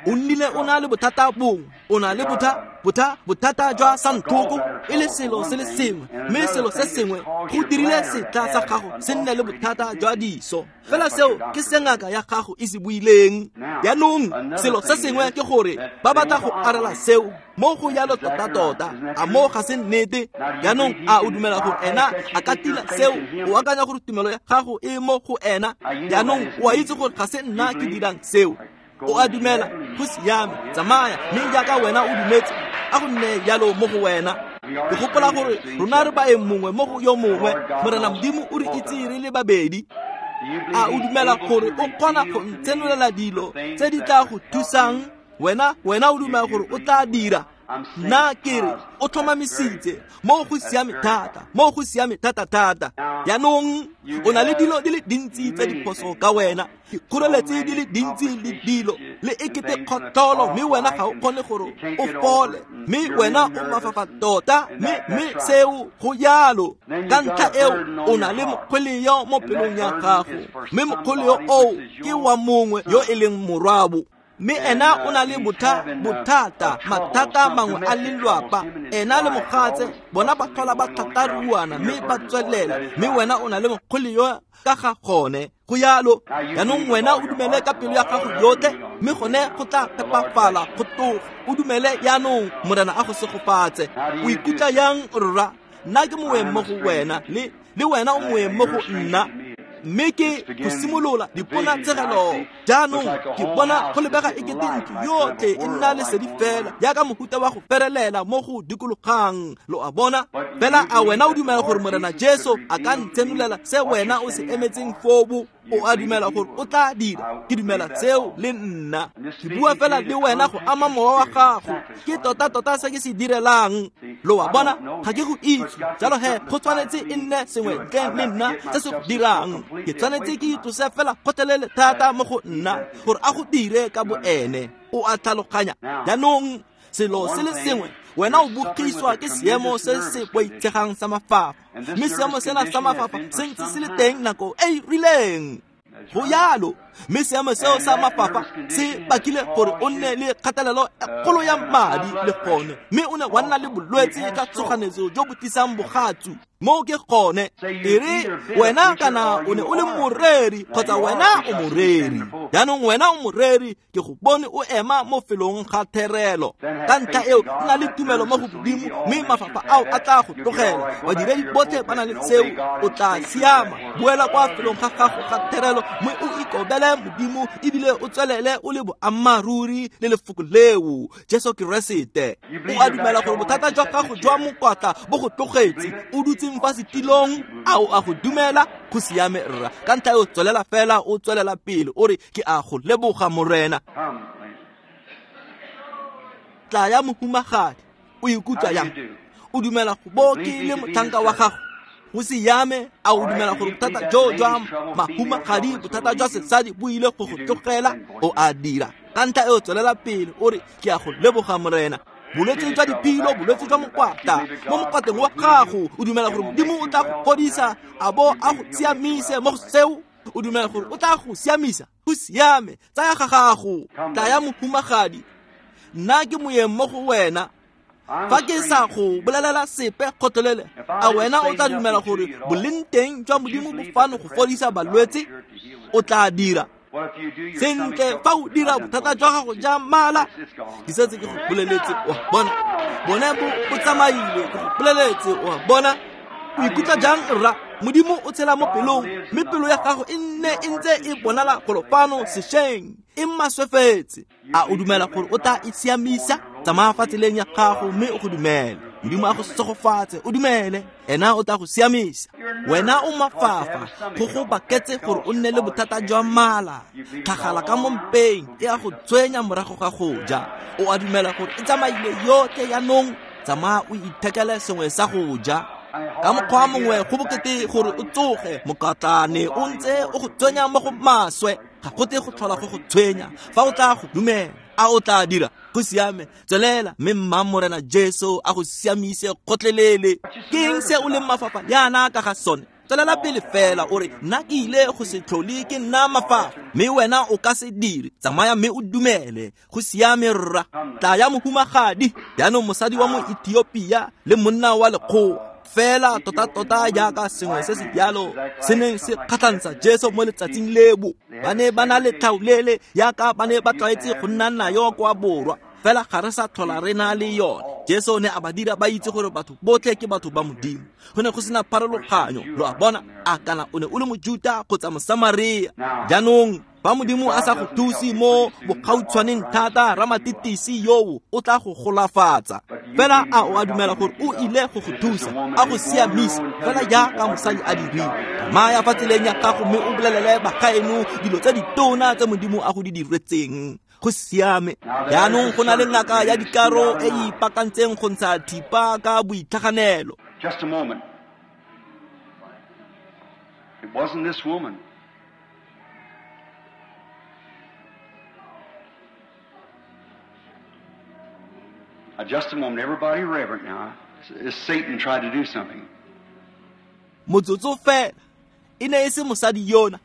O nnile o na le bothata bongwe, o na le bothata jwa santlhoko, e le selo se le sengwe, mme selo se sengwe go dirile setlha sa gago se nne le bothata jwa diso. Fela seo ke se ngaka ya gago e se buileng. Jaanong selo se sengwe ke gore ba batla go arela seo mo go jalo tota-tota. A mo ga se nnete? Jaanong a o dumela gore ena a ka tila seo? O akanya gore tumelo ya gago e mo go ena? Jaanong o a itse gore ga se nna ke dirang seo. O a dumela, go siame, tsamaya, mme jaaka wena o dumetse, a go nne jalo mo go wena. Ke gopola gore rona re baeng mongwe mo go yo mongwe. Morena Modimo o re itse re le babedi. A o dumela gore o kgona go ntshenolela dilo tse di tla go thusang? Wena o dumela gore o tla dira? Nna ke re o tlhomamisitse, mo go siame thata, mo go siame thata-thata. Jaanong o na le dilo di le dintsi tse di phoso ka wena, dikgoreletsi di le dintsi le dilo, le ekete kgotlholo, mme wena ga o kgone gore o fole, mme wena o mafafa tota, mme seo go jalo. Ka ntlha eo o na le mokgweleo mo pelong ya gago, mme mokgweleo oo ke wa mongwe yo e leng morwabo. Mme ena o na le bothata, mathata mangwe a lelwapa. Ena le mogatse, bona ba tlhola ba thataruana mme ba tswelela, mme wena o na le mokgweleo ka ga gone. Go jalo. Jaanong wena o dumele ka pelo ya gago yotlhe, mme gone go tla phepafala go tloga. O dumele jaanong, Morena a go segofatse. O ikutlwa yang, rra? Nna ke moeng mo go wena, le wena o moeng mo go nna. Mme ke go simolola diponatshegelo. Jaanong ke bona go lebega e kete ntlo yotlhe e nna lesedi fela jaaka mohuta wa go ferelela mo go dikologang, lo a bona. Fela a wena o dumela gore Morena Jesu a ka ntshenolela se wena o se emetseng fobo? O a dumela gore o tla dira? Ke dumela seo le nna. Ke bua fela le wena go ama mowa wa gago. Ke tota-tota se ke se direlang, lo a bona. Ga ke go itse, jalo he go tshwanetse e nne sengwe ntleng le nna se se go dirang. Ke tshwanetse ke itlose fela kgotlelele thata mo go nna gore a go dire ka boene. O a tlhaloganya? Jaanong selo se le sengwe, wena o bogiswa ke seemo se se boitshegang sa mafafa, mme seemo sena sa mafafa se ntse se le teng nako e e rileng. Go yalo, mme seemo seo sa mafafa se bakile gore o nne le kgatelelo e kgolo ya madi le gone, mme o ne wa nna le bolwetse ka tshoganetso jo bo tlisang bogatsu. Moo ke gone. E re wena kana o ne o le moreri kgotsa wena o moreri. Jaanong wena o moreri, ke go bone o ema mo felong ga therelo. Ka ntlha eo nna le tumelo mo go Modimo, mme mafafa ao a tla go tlogela. Badiredi botlhe ba na le seo, o tla siama. Boela kwa felong ga gago ga therelo mme o ikobele Modimo, ebile o tswelele o le boammaaruri le lefoko leo, Jesu Keresete. O a dumela gore bothata jwa gago jwa mokwatla bo go tlogetse? O dutseng fa setilong, a o a go dumela? Go siame rra. Ka ntlha eo tswelela fela, o tswelela pele o re, ke a go leboga Morena. Tla ya mohumagadi, o ikutlwa yang? O dumela go bo ke le motlhanka wa gago? Go siame. A o dumela gore bothata jo jwa mahumagadi, bothata jwa sesadi bo ile go go tlogela? O a dira. Ka ntlha eo tswelela pele o re, ke a go leboga Morena. Bolwetse jwa diphilo, bolwetse jwa mokwatla mo mokwateng wa gago, o dumela gore Modimo o tla go fodisa a bo a go siamise mo go seo? O dumela gore o tla go siamisa? Go siame, tsaya ga gago. Tla ya mohumagadi, nna ke moyeng mo go wena. Fa ke sa go bolelela sepe kgotlelele, a wena o tla dumela gore boleng teng jwa Modimo bo fano go fodisa balwetse? O tla dira. Sentle, fa o dira, bothata jwa gago ja mala, ke setse ke go boleletse, wa bona, bone bo tsamaile, ke go boleletse, wa bona. O ikutlwa jang rra? Modimo o tshela mo pelong, mme pelo ya gago e nne e ntse e bonala golo fano sešweng, e maswefetse. A o dumela gore o tla e siamisa? Tsamaya fa tseleng ya gago mme o go dumele. Modimo a go segofatse, o dumele, ena o tla go siamisa. Wena o mafafa, go go baketse gore o nne le bothata jwa mala, tlhagala ka mo mpeng e a go tshwenya morago ga go ja. O a dumela gore e tsamaile yotlhe jaanong? Tsamaya o ithekele sengwe sa go ja. Ka mokgwa mongwe go bokete gore o tsoge, mokatlane o ntse o go tshwenya mo go maswe, ga go tle go tlhola go go tshwenya fa o tla go dumela. A o tla dira? Go siame, tswelela mme mma Morena Jesu a go siamise kgotlelele. Ke eng se o leng mafafa jaana ka ga sone? Tswelela pele fela o re, nna ke ile go se tlhole ke nna mafafa, mme wena o ka se dire. Tsamaya mme o dumele. Go siame rra. Tla ya mohumagadi. Jaanong mosadi wa Moethiopia le monna wa lekgowa, fela tota-tota jaaka sengwe se se jalo se neng se kgatlhantsha Jesu mo letsatsing lebo. Ba ne ba na le tlhaolele jaaka ba ne ba tlwaetse go nna nayo kwa borwa, fela ga re sa tlhola re na le yone. Jesu ne a ba dira ba itse gore batho botlhe ke batho ba Modimo. Go ne go sena pharologanyo, lo a bona, a kana o ne o le Mojuta kgotsa Mosamaria. Jaanong fa Modimo a sa go thuse mo bogautshwaneng thata, ramatitisi yoo o tla go golafatsa. Fela a o a dumela gore o ile go go thusa, a go siamisa, fela jaaka mosadi a dirile? Tsamaya fa tseleng ya gago mme o bolelele bagaeno dilo tse ditona tse Modimo a go di diretseng. Go siame. Jaanong go na le ngaka ya dikaro e e ipakantseng go ntsha thipa ka boitlhaganelo. Just a moment. It wasn't this woman. Now, just a moment, everybody reverent now. As Satan tried to do something. Motsotso fela, e ne e se mosadi yona.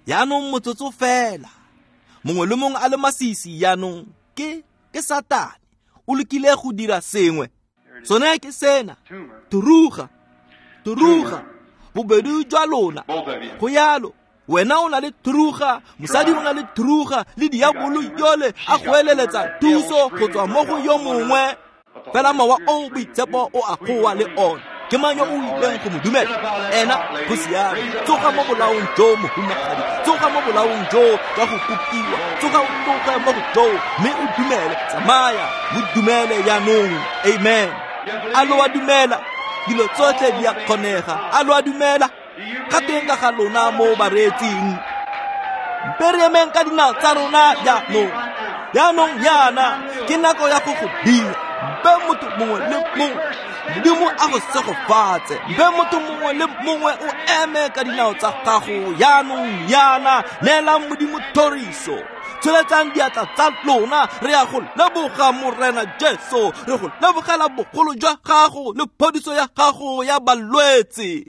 Jaanong motsotso fela, mongwe le mongwe a le masisi jaanong, ke Satane o lekile go dira sengwe. Sone ke sena, thuruga, thuruga, bobedi jwa lona. Go yalo, wena o na le thuruga, mosadi o na le thuruga, le diabolo yole a go eleletsa thuso go tswa mo go yo mongwe. Fela mowa o boitshepo o a goa le one. Ke mang yo o ileng go mo dumela? Ena go siame. Tsoga mo bolaong jo, mohumagadi. Tsoga mo bolaong jo jwa go kopiwa. Tsoga o tloge mo go joo mme o dumele. Tsamaya, mo dumele jaanong. Amen. A lo a dumela? Dilo tsotlhe di a kgonega. A lo a dumela? Ga tweng ka ga lona mo bareetsing? Mpe re emeng ka dinao tsa rona jaanong. Jaanong jaana ke nako ya go go dira. Mpe motho mongwe le mongwe, Modimo a go segofatse. Mpe motho mongwe le mongwe o eme ka dinao tsa gago jaanong jaana. Neelang Modimo thoriso. Tsholetsang diatla tsa lona. Re ya go leboga Morena Jesu. Re go lebogela bogolo jwa gago le phodiso ya gago ya balwetse.